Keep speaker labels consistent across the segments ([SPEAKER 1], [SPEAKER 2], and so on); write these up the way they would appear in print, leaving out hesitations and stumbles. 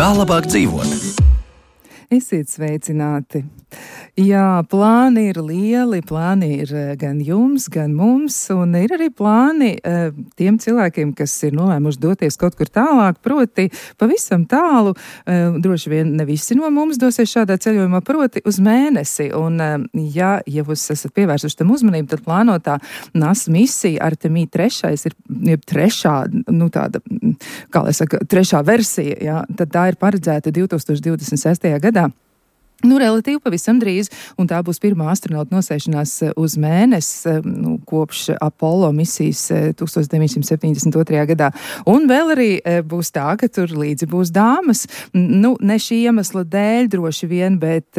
[SPEAKER 1] Kā labāk dzīvot?
[SPEAKER 2] Esiet sveicināti! Jā, plāni ir lieli, plāni ir gan jums, gan mums, un ir arī plāni tiem cilvēkiem, kas ir nolēmuši doties kaut kur tālāk, proti pavisam tālu, droši vien ne visi no mums dosies šādā ceļojumā, proti uz mēnesi, un ja jūs esat pievērsuši tam uzmanību, tad plānotā NASA misija Artemija 3 ir trešā, tāda, kā lai saka, trešā versija, jā, tad tā ir paredzēta 2026. gadā. Relatīvi pavisam drīz, un tā būs pirmā astronauta nosēšanās uz mēnesi kopš Apollo misijas 1972. gadā. Un vēl arī būs tā, ka tur līdzi būs dāmas. Ne šī iemesla dēļ droši vien, bet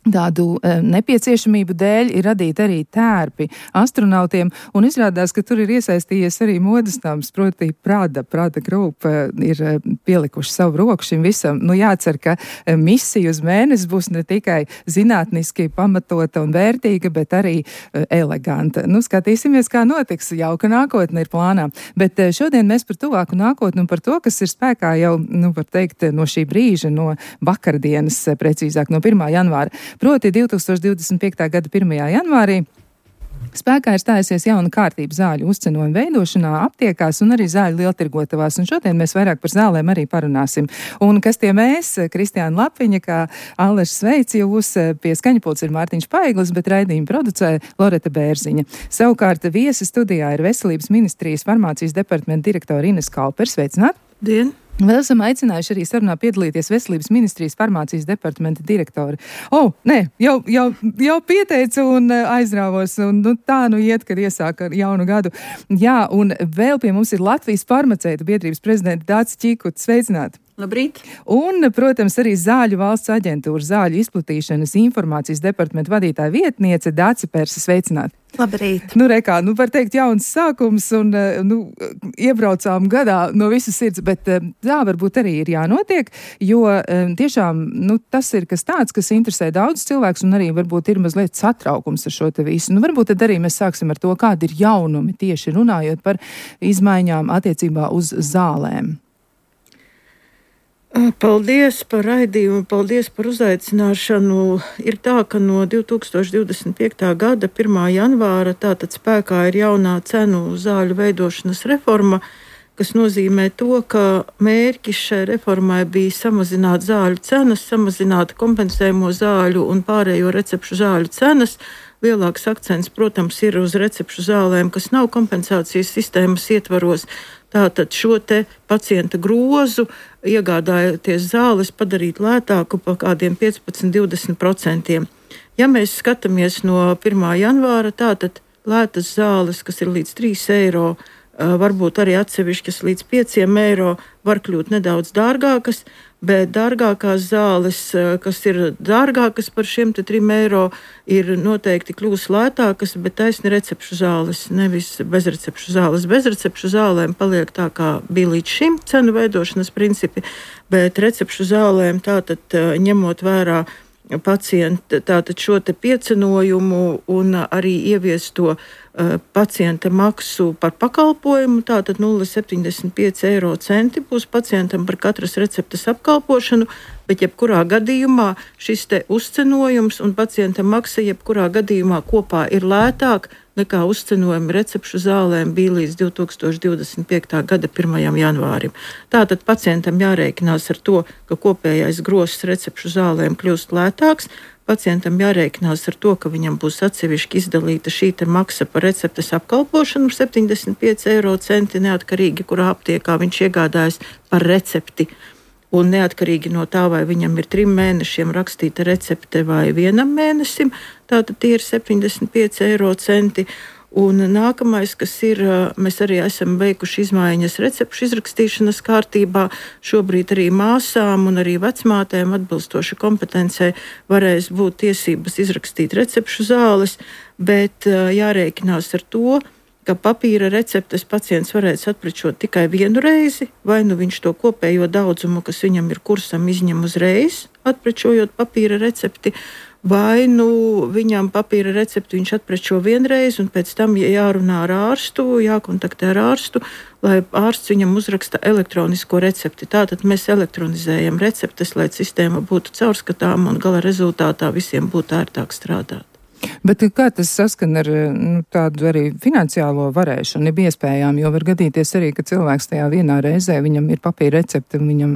[SPEAKER 2] tādu nepieciešamību dēļ ir radīti arī tērpi astronautiem, un izrādās, ka tur ir iesaistījies arī modesnāms, proti Prada Group ir pielikuši savu roku šim visam. Jācer, ka misija uz mēnesi būs ne tikai zinātniski pamatota un vērtīga, bet arī eleganta. Skatīsimies, kā notiks. Jauka nākotne ir plānā. Bet šodien mēs par tuvāku nākotni un par to, kas ir spēkā jau, var teikt, no šī brīža, no vakardienas, precīzāk, no 1. janvāra. Proti 2025. gada 1. janvārī spēkā ir stājusies jauna kārtība zāļu uzcenojuma veidošanā, aptiekās un arī zāļu lieltirgotavās. Un šodien mēs vairāk par zālēm arī parunāsim. Un kas tie mēs? Kristiāna Lapiņa, kā Allers sveic jūs, pie skaņapults ir Mārtiņš Paiglis, bet raidījumu producē Loreta Bērziņa. Savukārt viesi studijā ir Veselības ministrijas farmācijas departamenta direktora Ines Kalpers. Sveicināt!
[SPEAKER 3] Dien!
[SPEAKER 2] Vēl esam aicinājuši arī sarunā piedalīties Veselības ministrijas farmācijas departamenta direktori. Jau pieteicu un aizrāvos, un tā iet, kad iesāk ar jaunu gadu. Jā, un vēl pie mums ir Latvijas farmaceitu biedrības prezidenta Dācis Čikuts. Sveicināt!
[SPEAKER 3] Labrīt!
[SPEAKER 2] Un, protams, arī Zāļu valsts aģentūra zāļu izplatīšanas informācijas departamenta vadītāja vietniece Dāci Perse. Sveicināt!
[SPEAKER 3] Labrīt!
[SPEAKER 2] Var teikt, jauns sākums un iebraucām gadā no visas sirds, bet tā varbūt arī ir jānotiek, jo tiešām tas ir kas tāds, kas interesē daudz cilvēks un arī varbūt ir mazliet satraukums ar šo te visu. Varbūt tad arī mēs sāksim ar to, kādi ir jaunumi tieši runājot par izmaiņām attiecībā uz zālēm.
[SPEAKER 3] Paldies par raidījumu, paldies par uzaicināšanu. Ir tā, ka no 2025. gada 1. janvāra tātad spēkā ir jaunā cenu zāļu veidošanas reforma, kas nozīmē to, ka mērķis šai reformai bija samazināt zāļu cenas, samazināt kompensējumu zāļu un pārējo recepšu zāļu cenas. Lielāks akcents, protams, ir uz recepšu zālēm, kas nav kompensācijas sistēmas ietvaros. Tātad šo te pacienta grozu, iegādājoties zāles, padarīt lētāku par kādiem 15–20%. Ja mēs skatāmies no 1. janvāra, tātad lētas zāles, kas ir līdz 3 eiro, varbūt arī atsevišķas līdz 5 eiro, var kļūt nedaudz dārgākas, bet dārgākās zāles, kas ir dārgākas par šiem 3 eiro, ir noteikti kļūs lētākas, bet taisni recepšu zāles, nevis bezrecepšu zāles. Bezrecepšu zālēm paliek tā, kā bija līdz šim cenu veidošanas principi, bet recepšu zālēm tātad ņemot vērā pacienta tātad šo te piecenojumu un arī ieviesto pacienta maksu par pakalpojumu, tātad 0,75 eiro centi būs pacientam par katras receptes apkalpošanu, bet jebkurā gadījumā šis te uzcenojums un pacienta maksa jebkurā gadījumā kopā ir lētāk nekā uzcenojumi recepšu zālēm bija līdz 2025. gada 1. janvārim. Tātad pacientam jārēķinās ar to, ka kopējais grozs recepšu zālēm kļūst lētāks. Pacientam jārēķinās ar to, ka viņam būs atsevišķi izdalīta šī te maksa par receptes apkalpošanu 75 eiro centi, neatkarīgi, kurā aptiekā viņš iegādājas par recepti. Un neatkarīgi no tā, vai viņam ir 3 mēnešiem rakstīta recepte vai 1 mēnesim, tātad tie ir 75 eiro centi. Un nākamais, kas ir, mēs arī esam veikuši izmaiņas recepšu izrakstīšanas kārtībā. Šobrīd arī māsām un arī vecmātēm atbilstoši kompetencei varēs būt tiesības izrakstīt recepšu zāles, bet jārēķinās ar to, ka papīra receptes pacients varēs atprečot tikai vienu reizi, vai nu viņš to kopējo daudzumu, kas viņam ir kursam, izņem uzreiz, atprečojot papīra recepti, vai nu viņam papīra recepti viņš atprečo vienreiz, un pēc tam jārunā ar ārstu, jākontaktē ar ārstu, lai ārsts viņam uzraksta elektronisko recepti. Tātad mēs elektronizējam receptes, lai sistēma būtu caurskatāma un gala rezultātā visiem būtu ērtāk strādāt.
[SPEAKER 2] Bet kā tas saskan ar tādu arī finansiālo varēšanu, ir iespējām, jo var gadīties arī, ka cilvēks tajā vienā reizē, viņam ir papīra recepte, un viņam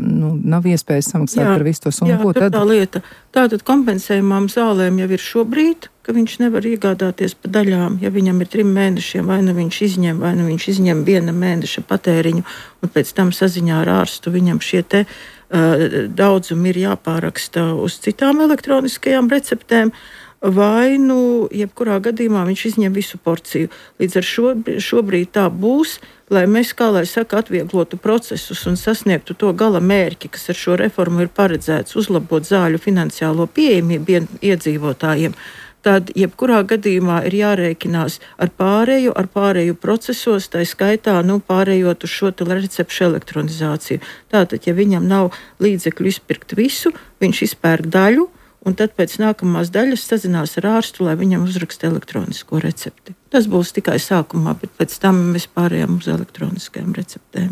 [SPEAKER 2] nav iespējas samaksāt par visu to summu.
[SPEAKER 3] Jā, tur tā lieta. Tātad kompensējumām zālēm jau ir šobrīd, ka viņš nevar iegādāties pa daļām, ja viņam ir 3 mēnešiem, vai nu viņš izņem 1 mēneša patēriņu, un pēc tam saziņā ar ārstu viņam šie te daudzumi ir jāpāraksta uz citām elektroniskajām receptēm, vai nu jebkurā gadījumā viņš izņem visu porciju. Līdz ar šobrīd tā būs, lai mēs, kā lai saka, atvieglotu procesus un sasniegtu to gala mērķi, kas ar šo reformu ir paredzēts, uzlabot zāļu finansiālo pieejamību iedzīvotājiem. Tad jebkurā gadījumā ir jārēķinās ar pārēju procesos, tā skaitā pārējot uz šo recepšu elektronizāciju. Tātad, ja viņam nav līdzekļu izpirkt visu, viņš izpērk daļu, un tad pēc nākamās daļas sazinās ar ārstu, lai viņam uzraksta elektronisko recepti. Tas būs tikai sākumā, bet pēc tam mēs pārējām uz elektroniskajām receptēm.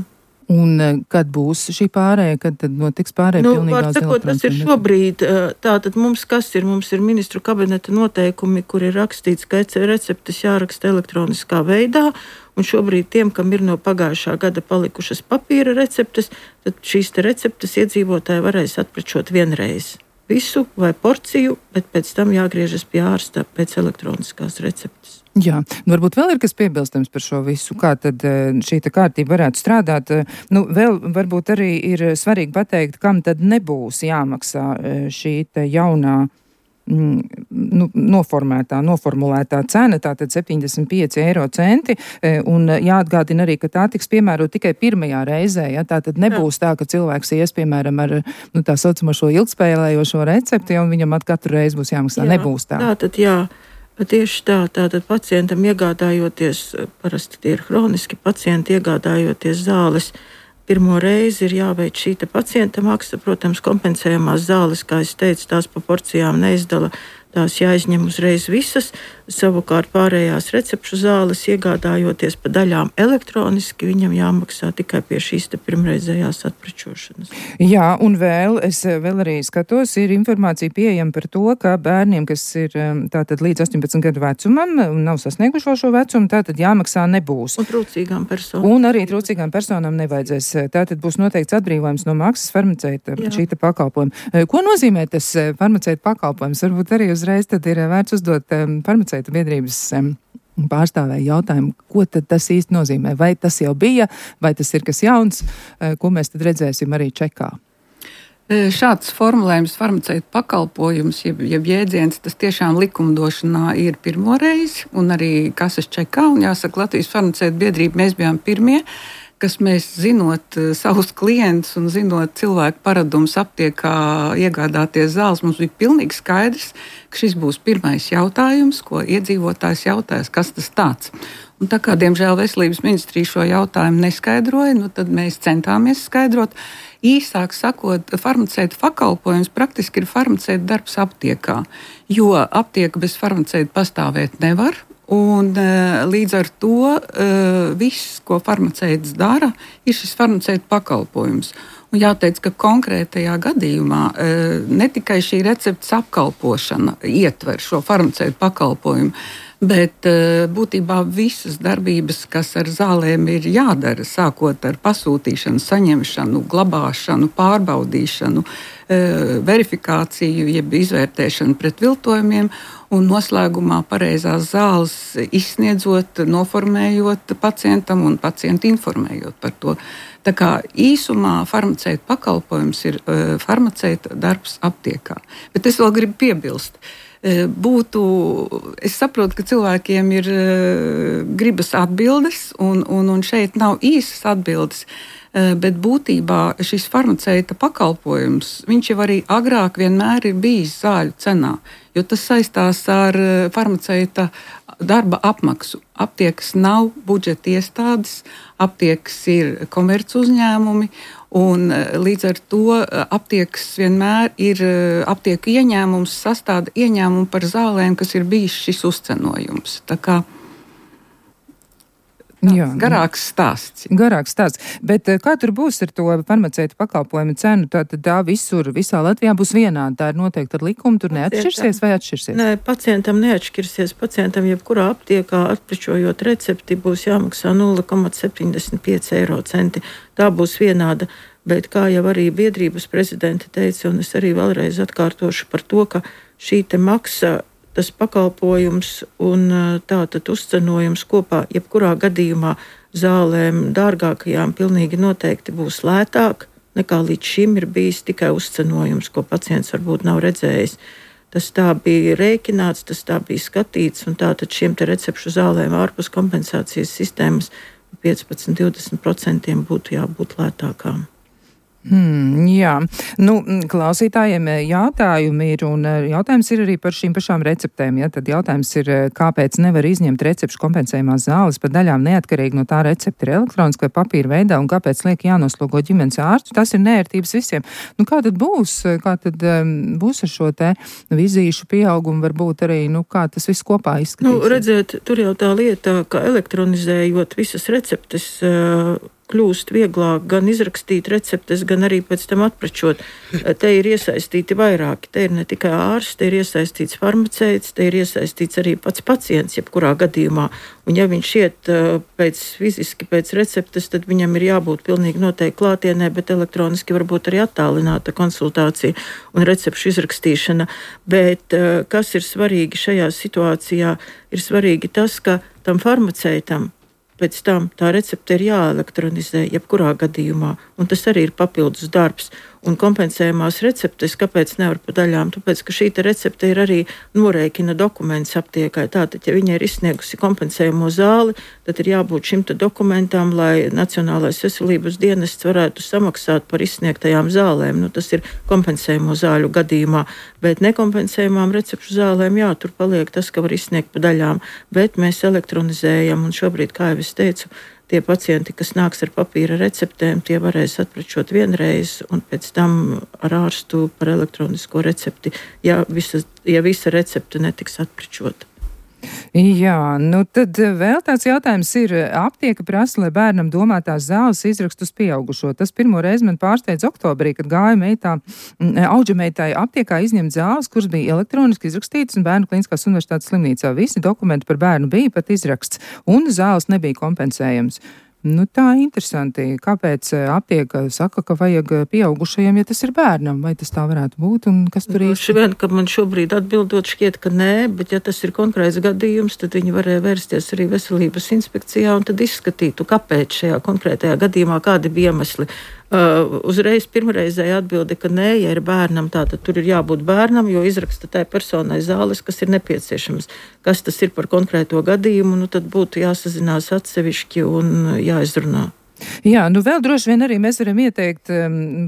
[SPEAKER 2] Un kad būs šī pārēja, kad tad notiks pārēja pilnīgā uz elektroniskajām receptēm?
[SPEAKER 3] Tas ir šobrīd, tātad mums mums ir ministru kabineta noteikumi, kur ir rakstīts, ka receptes jāraksta elektroniskā veidā, un šobrīd tiem, kam ir no pagājušā gada palikušas papīra receptes, tad šīs te receptes iedzīvotāji varēs atprečot vienreiz. Visu vai porciju, bet pēc tam jāgriežas pie ārsta pēc elektroniskās receptes.
[SPEAKER 2] Jā, varbūt vēl ir kas piebilstams par šo visu, kā tad šī kārtība varētu strādāt. Vēl varbūt arī ir svarīgi pateikt, kam tad nebūs jāmaksā šī te jaunā noformulētā cena, tātad 75 eiro centi, un jāatgādina arī, ka tā tiks piemērot tikai pirmajā reizē, ja tātad nebūs tā, ka cilvēks ies, piemēram, ar tā saucamo šo ilgspēlējošo recepti, un viņam katru reizi būs jāmaksā. Nebūs tā.
[SPEAKER 3] Tātad, jā. Tieši tā, tātad pacientam iegādājoties, parasti tie ir hroniski pacienti, iegādājoties zāles, pirmo reizi ir jāveic šī pacienta maksa. Protams, kompensējamās zāles, kā es teicu, tās pa porcijām neizdala, tās jāizņem uzreiz visas. Savukārt pārējās recepšu zāles, iegādājoties pa daļām elektroniski, viņam jāmaksā tikai pie šīs pirmreizējās atprečošanas.
[SPEAKER 2] Jā, un es vēl arī skatos, ir informācija pieejama par to, ka bērniem, kas ir tātad līdz 18 gadu vecumam un nav sasnieguši šo vecumu, tātad jāmaksā nebūs.
[SPEAKER 3] Un trūcīgām personām.
[SPEAKER 2] Un arī trūcīgām personām nevajadzēs. Tātad būs noteikts atbrīvojums no maksas farmaceita šī pakalpojuma. Ko nozīmē tas farmaceita pakalpojums? Varbūt arī uzreiz tad ir vērts uzdot farmaceita biedrības pārstāvēja jautājumu, ko tad tas īsti nozīmē? Vai tas jau bija, vai tas ir kas jauns, ko mēs tad redzēsim arī čekā?
[SPEAKER 1] Šāds formulējums farmaceita pakalpojums, jeb jēdziens, tas tiešām likumdošanā ir pirmo reizi, un arī kases čekā, un jāsaka, Latvijas farmaceita biedrība mēs bijām pirmie, kas mēs zinot savus klientus un zinot cilvēku paradumus aptiekā iegādāties zāles, mums bija pilnīgi skaidrs, ka šis būs pirmais jautājums, ko iedzīvotājs jautās, kas tas tāds. Un tā kā, diemžēl, veselības ministrija šo jautājumu neskaidroja, tad mēs centāmies skaidrot. Īsāk sakot, farmaceita pakalpojums praktiski ir farmaceita darbs aptiekā, jo aptieka bez farmaceita pastāvēt nevar. Un līdz ar to viss, ko farmaceits dara, ir šis farmaceita pakalpojums. Un jāteic, ka konkrētajā gadījumā ne tikai šī receptes apkalpošana ietver šo farmaceita pakalpojumu, bet būtībā visas darbības, kas ar zālēm ir jādara, sākot ar pasūtīšanu, saņemšanu, glabāšanu, pārbaudīšanu, verifikāciju, jeb izvērtēšanu pret viltojumiem un noslēgumā pareizās zāles izsniedzot, noformējot pacientam un pacientu informējot par to. Tā kā īsumā farmaceita pakalpojums ir farmaceita darbs aptiekā. Bet es vēl gribu piebilst. Es saprotu, ka cilvēkiem ir gribas atbildes, un šeit nav īsas atbildes, bet būtībā šis farmaceita pakalpojums, viņš jau arī agrāk vienmēr ir bijis zāļu cenā, jo tas saistās ar farmaceita darba apmaksu. Aptiekas nav budžeta iestādes, aptiekas ir komerc uzņēmumi, Un līdz ar to aptiekas vienmēr ir aptieku ieņēmums sastāda ieņēmumu par zālēm, kas ir bijis šis uzcenojums. Tā kā garāks stāsts.
[SPEAKER 2] Garāks stāsts. Bet kā tur būs ar to farmaceitu pakalpojumu cenu? Tātad tā visā Latvijā būs vienāda. Tā ir noteikti ar likumu. Tur neatšķirsies vai atšķirsies?
[SPEAKER 3] Nē, pacientam neatšķirsies. Pacientam jebkurā aptiekā atprečojot recepti būs jāmaksā 0,75 eiro centi. Tā būs vienāda. Bet kā jau arī biedrības prezidente teica, un es arī vēlreiz atkārtošu par to, ka šī te maksa, tas pakalpojums un tātad uzcenojums kopā, jebkurā gadījumā zālēm dārgākajām pilnīgi noteikti būs lētāk nekā līdz šim ir bijis tikai uzcenojums, ko pacients varbūt nav redzējis. Tas tā bija rēķināts, tas tā bija skatīts, un tātad šiem te recepšu zālēm ārpus kompensācijas sistēmas 15-20% būtu jābūt lētākām.
[SPEAKER 2] Jā, klausītājiem jautājumi ir, un jautājums ir arī par šīm pašām receptēm. Ja? Tad jautājums ir, kāpēc nevar izņemt recepšu kompensējumās zāles par daļām neatkarīgi no tā recepta ir elektroniski vai papīra veidā, un kāpēc liek jānoslogo ģimenes ārstu? Tas ir neērtības visiem. Kā tad būs? Kā tad būs ar šo te vizīšu pieaugumu, varbūt arī, kā tas viss kopā izskatīsies?
[SPEAKER 3] Redziet, tur jau tā lieta, ka elektronizējot visas receptes, kļūst vieglāk gan izrakstīt receptes, gan arī pēc tam atprečot. Te ir iesaistīti vairāki. Te ir ne tikai ārsts, te ir iesaistīts farmaceits, te ir iesaistīts arī pats pacients, jebkurā gadījumā. Un ja viņš iet fiziski pēc receptes, tad viņam ir jābūt pilnīgi noteikti klātienē, bet elektroniski varbūt arī attālināta konsultācija un recepšu izrakstīšana. Bet kas ir svarīgi šajā situācijā, ir svarīgi tas, ka tam farmaceitam pēc tam tā recepte ir jāelektronizē jebkurā gadījumā, un tas arī ir papildus darbs. Un kompensējumās receptes, kāpēc nevar pa daļām? Tāpēc, ka šī recepte ir arī norēķina dokuments aptiekai. Tātad, ja viņa ir izsniegusi kompensējumu zāli, tad ir jābūt šim dokumentam, lai Nacionālais veselības dienests varētu samaksāt par izsniegtajām zālēm. Tas ir kompensējumu zāļu gadījumā, bet nekompensējumām recepšu zālēm, tur paliek tas, ka var izsniegt pa daļām, bet mēs elektronizējam, un šobrīd, kā jau es teicu, tie pacienti, kas nāks ar papīra receptēm, tie varēs atprečot vienreiz un pēc tam ar ārstu par elektronisko recepti, ja visa recepte netiks atprečota.
[SPEAKER 2] Jā, tad vēl tāds jautājums ir, aptieka prasa, lai bērnam domātās zāles izrakstu uz pieaugušo. Tas pirmo reizi man pārsteidz oktobrī, kad gāja auģameitai aptiekā izņemt zāles, kuras bija elektroniski izrakstītas un Bērnu Kliniskās universitātes slimnīcā. Visi dokumenti par bērnu bija pat izraksts, un zāles nebija kompensējams. Tā interesanti. Kāpēc aptieka saka, ka vajag pieaugušajiem, ja tas ir bērnam? Vai tas tā varētu būt? Un kas tur īsti?
[SPEAKER 3] Vien, ka man šobrīd atbildot šķiet, ka nē, bet ja tas ir konkrēts gadījums, tad viņi varēja vērsties arī veselības inspekcijā un tad izskatītu, kāpēc šajā konkrētajā gadījumā, kādi bija iemesli. Uzreiz pirmreizēja atbilde, ka nē, ja ir bērnam, tātad tur ir jābūt bērnam, jo izraksta tai personai zāles, kas ir nepieciešamas. Kas tas ir par konkrēto gadījumu, tad būtu jāsazinās atsevišķi un jāizrunā.
[SPEAKER 2] Jā, vēl droši vien arī mēs varam ieteikt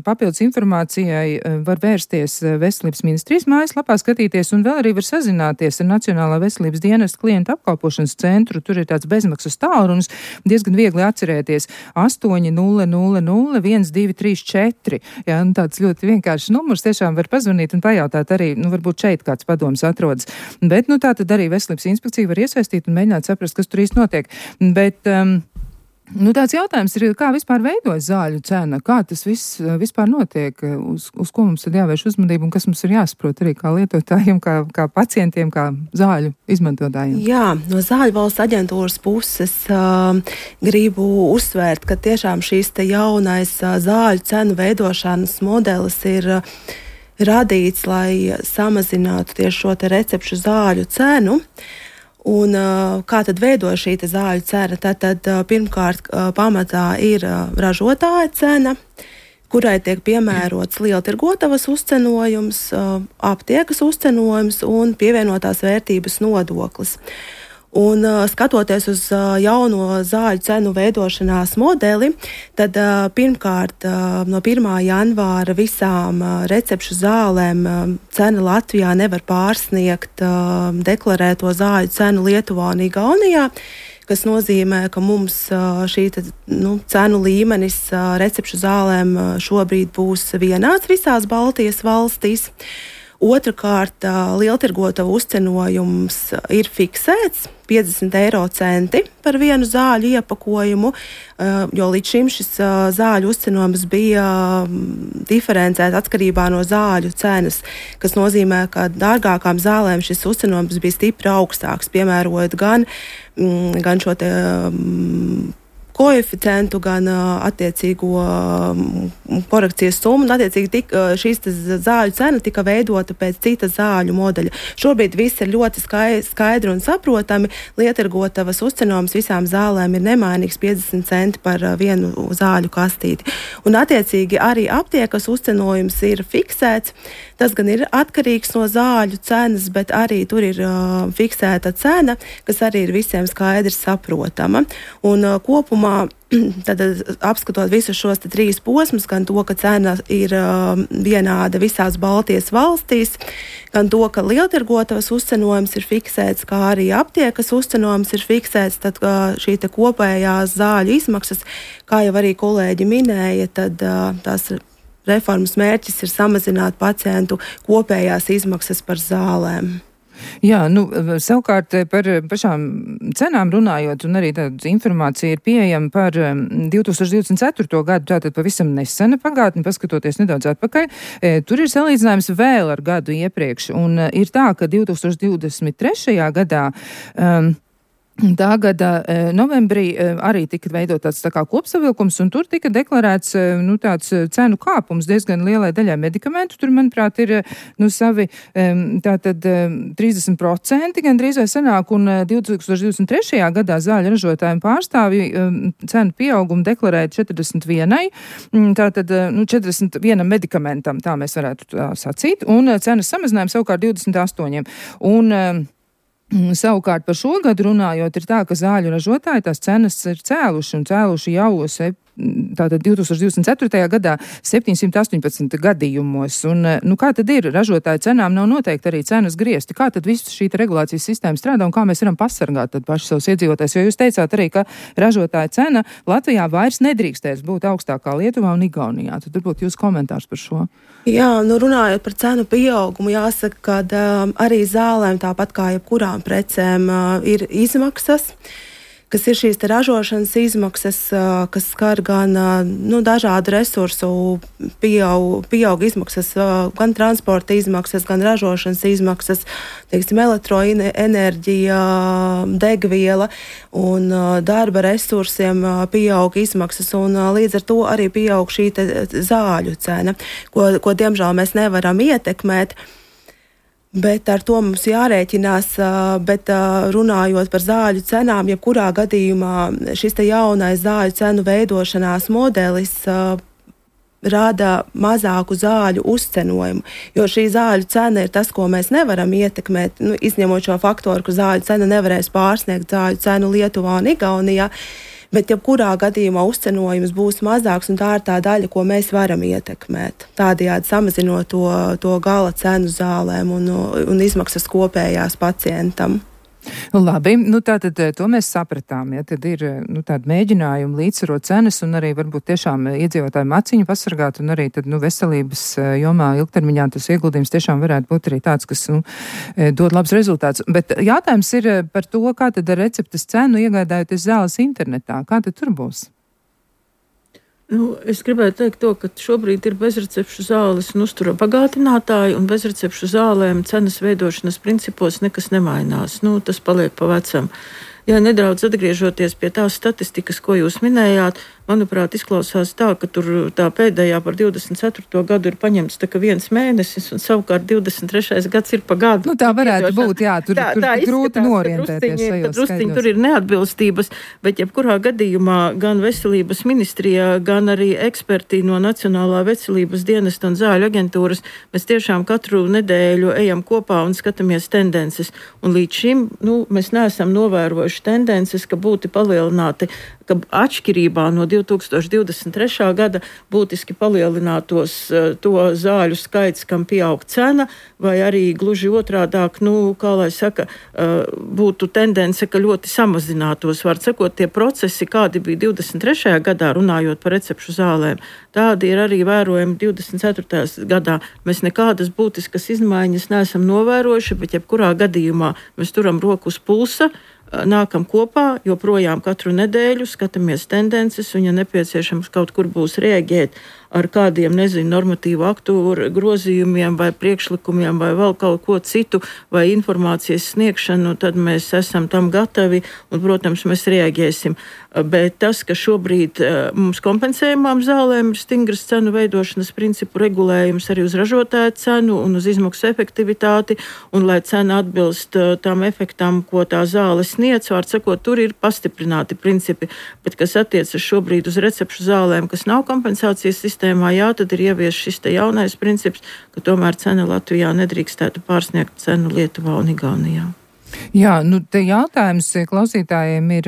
[SPEAKER 2] papildus informācijai, var vērsties Veselības ministrijas mājaslapā, skatīties un vēl arī var sazināties ar Nacionālā veselības dienesta klientu apkalpošanas centru. Tur ir tāds bezmaksas tālrunis, diezgan viegli atcerēties 800 1234. Jā, tāds ļoti vienkāršs numurs, tiešām var pazvanīt un pajautāt arī, varbūt šeit kāds padoms atrodas. Bet, tā tad arī Veselības inspekcija var iesaistīt un mēģināt saprast, kas tur īsti notiek. Bet, tāds jautājums ir, kā vispār veidojas zāļu cena, kā tas viss vispār notiek, uz ko mums tad jāvērš uzmanību un kas mums ir jāsaprot arī kā lietotājiem, kā pacientiem, kā zāļu izmantotājiem.
[SPEAKER 4] Jā, no Zāļu valsts aģentūras puses gribu uzsvērt, ka tiešām šīs te jaunais zāļu cenu veidošanas modelis ir radīts, lai samazinātu tieši šo te recepšu zāļu cenu. Un kā tad veidojas šī zāļu cena? Tad pirmkārt pamatā ir ražotāja cena, kurai tiek piemērots lieltirgotavas uzcenojums, aptiekas uzcenojums un pievienotās vērtības nodoklis. Un skatoties uz jauno zāļu cenu veidošanās modeli, tad pirmkārt no 1. janvāra visām recepšu zālēm cena Latvijā nevar pārsniegt deklarēto zāļu cenu Lietuvā un Igaunijā, kas nozīmē, ka mums šī cenu līmenis recepšu zālēm šobrīd būs vienāds visās Baltijas valstīs. Otrakārt, lieltirgotavu uzcenojums ir fiksēts 50 eiro centi par vienu zāļu iepakojumu, jo līdz šim šis zāļu uzcenojums bija diferencēts atkarībā no zāļu cenas, kas nozīmē, ka dārgākām zālēm šis uzcenojums bija stipri augstāks, piemērojot gan šo te koeficientu, gan attiecīgo korekcijas summu, un attiecīgi šīs zāļu cena tika veidota pēc cita zāļu modeļa. Šobrīd viss ir ļoti skaidri un saprotami. Lieltirgotavas uzcenojums visām zālēm ir nemainīgs 50 centi par vienu zāļu kastīti. Un attiecīgi arī aptiekas uzcenojums ir fiksēts. Tas gan ir atkarīgs no zāļu cenas, bet arī tur ir fiksēta cena, kas arī ir visiem skaidri saprotama. Un kopumā tad, apskatot visus šos trīs posmus, gan to, ka cena ir vienāda visās Baltijas valstīs, gan to, ka lieltirgotavas uzcenojums ir fiksēts, kā arī aptiekas uzcenojums ir fiksēts, tad šī te kopējās zāļu izmaksas, kā jau arī kolēģi minēja, tad tās reformas mērķis ir samazināt pacientu kopējās izmaksas par zālēm.
[SPEAKER 2] Jā, savukārt par pašām cenām runājot, un arī tāda informācija ir pieejama par 2024. gadu, tātad pavisam nesena pagātni, paskatoties nedaudz atpakaļ. Tur ir salīdzinājums vēl ar gadu iepriekš, un ir tā, ka 2023. gadā tā gada novembrī arī tika veidot tāds tā kā kopsavilkums, un tur tika deklarēts tāds cenu kāpums diezgan lielai daļai medikamentu. Tur, manuprāt, ir savi tātad 30% gandrīz vai sanāk, un 2023. gadā zāļu ražotājiem pārstāvji cenu pieaugumu deklarēja 41, tātad 41 medikamentam, tā mēs varētu tā sacīt, un cenas samazinājums savukārt 28. Savukārt par šo gadu runājot, ir tā, ka zāļu ražotāji tās cenas ir cēluši jau tātad 2024. gadā 718 gadījumos. Un kā tad ir? Ražotāju cenām nav noteikti arī cenas griezti. Kā tad viss šī regulācijas sistēma strādā un kā mēs varam pasargāt tad paši savus iedzīvotājus? Jo jūs teicāt arī, ka ražotāju cena Latvijā vairs nedrīkstēs būt augstākā Lietuvā un Igaunijā. Tad varbūt jūs komentārs par šo.
[SPEAKER 4] Jā, runājot par cenu pieaugumu, jāsaka, ka arī zālēm, tāpat kā jebkurām precēm, ir izmaksas, kas ir šīs ražošanas izmaksas, kas skar gan dažādu resursu pieaug izmaksas, gan transporta izmaksas, gan ražošanas izmaksas, teiksim, elektroenerģija, degviela un darba resursiem pieaug izmaksas, un līdz ar to arī pieaug šī zāļu cena, ko diemžēl mēs nevaram ietekmēt. Bet ar to mums jārēķinās, bet runājot par zāļu cenām, jebkurā gadījumā šis jaunais zāļu cenu veidošanās modelis rada mazāku zāļu uzcenojumu, jo šī zāļu cena ir tas, ko mēs nevaram ietekmēt, izņemot šo faktoru, ka zāļu cena nevarēs pārsniegt zāļu cenu Lietuvā un Igaunijā. Bet jebkurā gadījumā uzcenojums būs mazāks, un tā ir tā daļa, ko mēs varam ietekmēt. Tādējādi samazinot to gala cenu zālēm un izmaksas kopējās pacientam.
[SPEAKER 2] Labi, tātad to mēs sapratām, ja tad ir tādi mēģinājumi līdzsvarot cenas un arī varbūt tiešām iedzīvotāju maciņu pasargāt un arī tad veselības jomā ilgtermiņā tas ieguldījums tiešām varētu būt arī tāds, kas dod labs rezultāts. Bet jautājums ir par to, kā tad ar receptes cenu iegādājoties zāles internetā, kā tad tur būs?
[SPEAKER 3] Es gribētu teikt to, ka šobrīd ir bezrecepšu zāles un uztura bagātinātāji, un bezrecepšu zālēm cenas veidošanas principos nekas nemainās. Tas paliek pa vecam. Ja nedaudz atgriežoties pie tās statistikas, ko jūs minējāt, manuprāt, izklausās tā, ka tur tā pēdējā par 24. gadu ir paņemts tā kā 1 mēnesis, un savukārt 23. gads ir pa gadu.
[SPEAKER 2] Tā varētu būt, jā, tur grūti norientēties šajos
[SPEAKER 3] skaidros. Tur ir neatbilstības, bet jebkurā gadījumā gan veselības ministrijā, gan arī eksperti no Nacionālā veselības dienesta un zāļu aģentūras, mēs tiešām katru nedēļu ejam kopā un skatāmies tendences. Un līdz šim, mēs neesam novērojuši tendences, ka būtu palielināti, ka atšķirībā no 2023. Gada būtiski palielinātos to zāļu skaits, kam pieaug cena, vai arī gluži otrādāk, kā lai saka, būtu tendence, ka ļoti samazinātos. Var sakot, tie procesi, kādi bija 23. gadā, runājot par recepšu zālēm, tādi ir arī vērojami 24. gadā. Mēs nekādas būtiskas izmaiņas neesam novērojuši, bet jebkurā gadījumā mēs turam roku uz pulsa, nākam kopā, joprojām katru nedēļu skatāmies tendences, un ja nepieciešams kaut kur būs reaģēt ar kādiem, normatīvu aktu grozījumiem vai priekšlikumiem vai vēl kaut ko citu vai informācijas sniegšanu, tad mēs esam tam gatavi un, protams, mēs reaģēsim. Bet tas, ka šobrīd mums kompensējumām zālēm ir stingras cenu veidošanas principu regulējums arī uz ražotāja cenu un uz izmaksu efektivitāti, un lai cena atbilst tām efektām, ko tā zāle sniedz, var sakot, tur ir pastiprināti principi, bet kas attiecas šobrīd uz recepšu zālēm, kas nav kompensācijas sistēmā, jā, tad ir ievies šis te jaunais princips, ka tomēr cena Latvijā nedrīkstētu pārsniegt cenu Lietuvā un Igaunijā.
[SPEAKER 2] Jā, te jautājums klausītājiem ir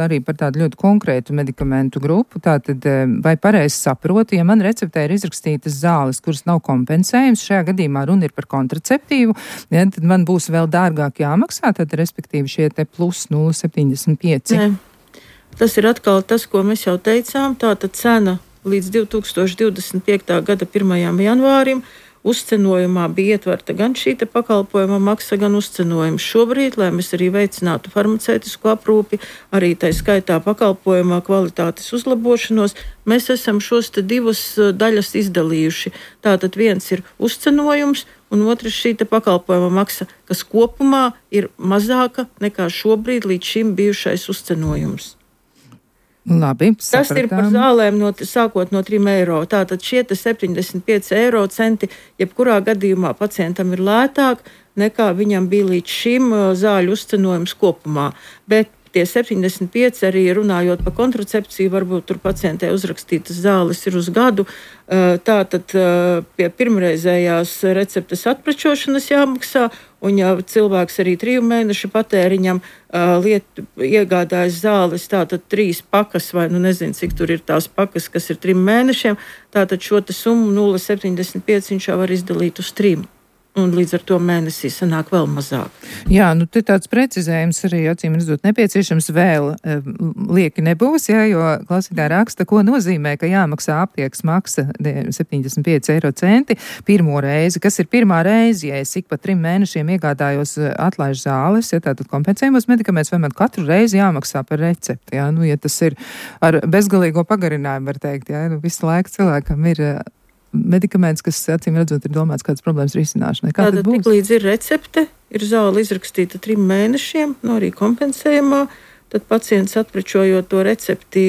[SPEAKER 2] arī par tādu ļoti konkrētu medikamentu grupu. Tātad, vai pareizi saprotu, ja man receptē ir izrakstītas zāles, kuras nav kompensējums, šajā gadījumā runa ir par kontraceptīvu, ja, tad man būs vēl dārgāk jāmaksā, tad respektīvi šie te plus 0,75.
[SPEAKER 3] Nē, tas ir atkal tas, ko mēs jau teicām, tātad cena līdz 2025. gada 1. janvārim uzcenojumā bija ietverta gan šī pakalpojuma maksa, gan uzcenojums. Šobrīd, lai mēs arī veicinātu farmaceitisku aprūpi, arī tai skaitā pakalpojumā kvalitātes uzlabošanos, mēs esam šos te divas daļas izdalījuši. Tātad viens ir uzcenojums, un otrs šī pakalpojuma maksa, kas kopumā ir mazāka nekā šobrīd līdz šim bijušais uzcenojums.
[SPEAKER 2] Labi, sapratām.
[SPEAKER 3] Tas ir par zālēm sākot no 3 eiro. Tātad šie 75 eiro centi, jebkurā gadījumā pacientam ir lētāk nekā viņam bija līdz šim zāļu uzcenojums kopumā. Bet tie 75 arī runājot par kontracepciju, varbūt tur pacientē uzrakstītas zāles ir uz gadu. Tātad pie pirmreizējās receptes atprečošanas jāmaksā, un ja cilvēks arī 3 mēnešu patēriņam iegādājas zāles, tātad 3 pakas, vai nezinu, cik tur ir tās pakas, kas ir 3 mēnešiem, tātad šo summu 0,75 viņš jau var izdalīt uz 3. Un līdz ar to mēnesī sanāk vēl mazāk.
[SPEAKER 2] Jā, te tāds precizējums arī, acīm redzot, nepieciešams vēl lieki nebūs, jā, jo klausītāji raksta, ko nozīmē, ka jāmaksā aptiekas maksa 75 eiro centi pirmo reizi. Kas ir pirmā reize, ja es ik pa 3 mēnešiem iegādājos atlaižu zāles, ja tātad kompensējumos medikamentus, vai man katru reizi jāmaksā par recepti, jā, ja tas ir ar bezgalīgo pagarinājumu, var teikt, jā, visu laiku cilvēkam ir medikaments, kas, acīm redzot, ir domāts kādas problēmas risināšanai. Kā tad būs?
[SPEAKER 3] Tik līdz ir recepte, ir zāle izrakstīta 3 mēnešiem, arī kompensējumā, tad pacients atprečojot to recepti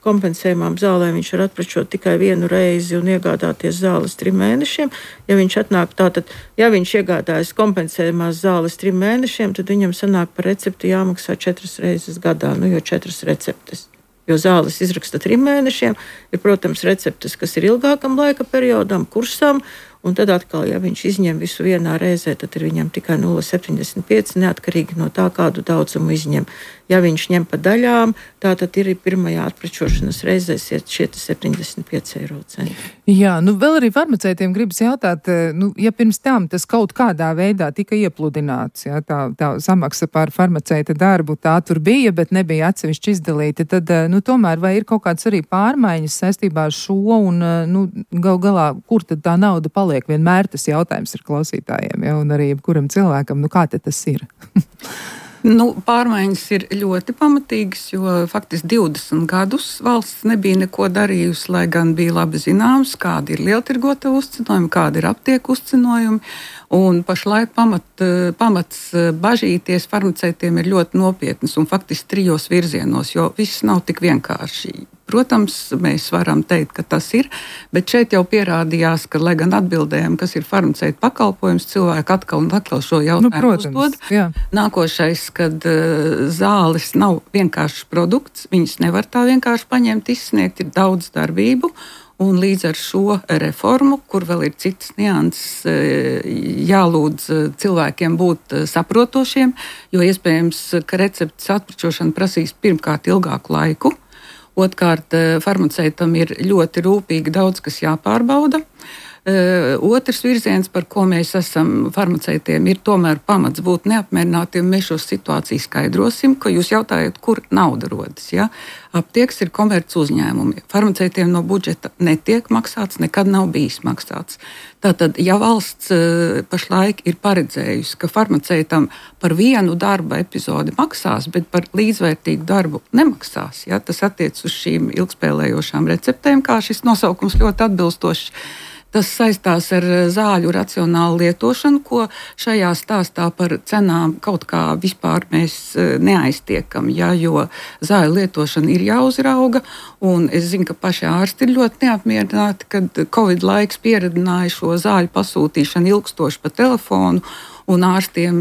[SPEAKER 3] kompensējumām zālēm, viņš var atprečot tikai 1 reizi un iegādāties zāles 3 mēnešiem. Ja viņš atnāk tātad, ja viņš iegādājas kompensējumās zāles 3 mēnešiem, tad viņam sanāk par recepti jāmaksā 4 reizes gadā, jo 4 receptes. Jo zāles izraksta 3 mēnešiem, ir, protams, receptes, kas ir ilgākam laika periodam, kursam, un tad atkal, ja viņš izņem visu vienā reizē, tad ir viņam tikai 0,75, neatkarīgi no tā, kādu daudzumu izņem. Ja viņš ņem pa daļām, tātad ir pirmajā atprečošanas reizē šie 75 eiro centi.
[SPEAKER 2] Jā, vēl arī farmaceitiem gribas jautāt, ja pirms tam tas kaut kādā veidā tika iepludināts, jā, tā samaksa par farmaceita darbu, tā tur bija, bet nebija atsevišķi izdalīta, tad, tomēr vai ir kaut kāds arī pārmaiņas saistībā ar šo, un, gal galā, kur tad tā nauda paliek? Vienmēr tas jautājums ir klausītājiem, ja, un arī jebkuram cilvēkam, kā te tas ir?
[SPEAKER 1] Pārmaiņas ir ļoti pamatīgas, jo faktiski 20 gadus valsts nebija neko darījusi, lai gan bija labi zināms, kādi ir lieltirgota uzcenojumi, kādi ir aptieku uzcenojumi. Un pašlaik pamats bažīties farmaceitiem ir ļoti nopietnas un faktiski 3 virzienos, jo viss nav tik vienkārši. Protams, mēs varam teikt, ka tas ir, bet šeit jau pierādījās, ka, lai gan atbildējam, kas ir farmaceita pakalpojums, cilvēki atkal un atkal šo jautājumu uzdod.
[SPEAKER 2] Jā.
[SPEAKER 1] Nākošais, kad zāles nav vienkāršs produkts, viņas nevar tā vienkārši paņemt, izsniegt, ir daudz darbību. Un līdz ar šo reformu, kur vēl ir citas nianses, jālūdz cilvēkiem būt saprotošiem, jo iespējams, ka receptes atprečošana prasīs pirmkārt ilgāku laiku. Otrkārt, farmaceitam ir ļoti rūpīgi daudz, kas jāpārbauda. Otrs virziens, par ko mēs esam farmaceitiem, ir tomēr pamats būt neapmierinātiem. Mēs šo situāciju skaidrosim, ka jūs jautājat, kur nauda rodas. Ja? Aptieks ir komerc uzņēmumi. Farmaceitiem no budžeta netiek maksāts, nekad nav bijis maksāts. Tātad, ja valsts pašlaik ir paredzējusi, ka farmaceitam par vienu darba epizodi maksās, bet par līdzvērtīgu darbu nemaksās, ja? Tas attiec uz šīm ilgspēlējošām receptēm, kā šis nosaukums ļoti atbilstošs. Tas saistās ar zāļu racionālu lietošanu, ko šajā stāstā par cenām kaut kā vispār mēs neaiztiekam, ja, jo zāļu lietošana ir jāuzrauga, un es zinu, ka paši ārsti ir ļoti neapmierināti, kad Covid laiks pieredzināja šo zāļu pasūtīšanu ilgstoši pa telefonu, un ārstiem,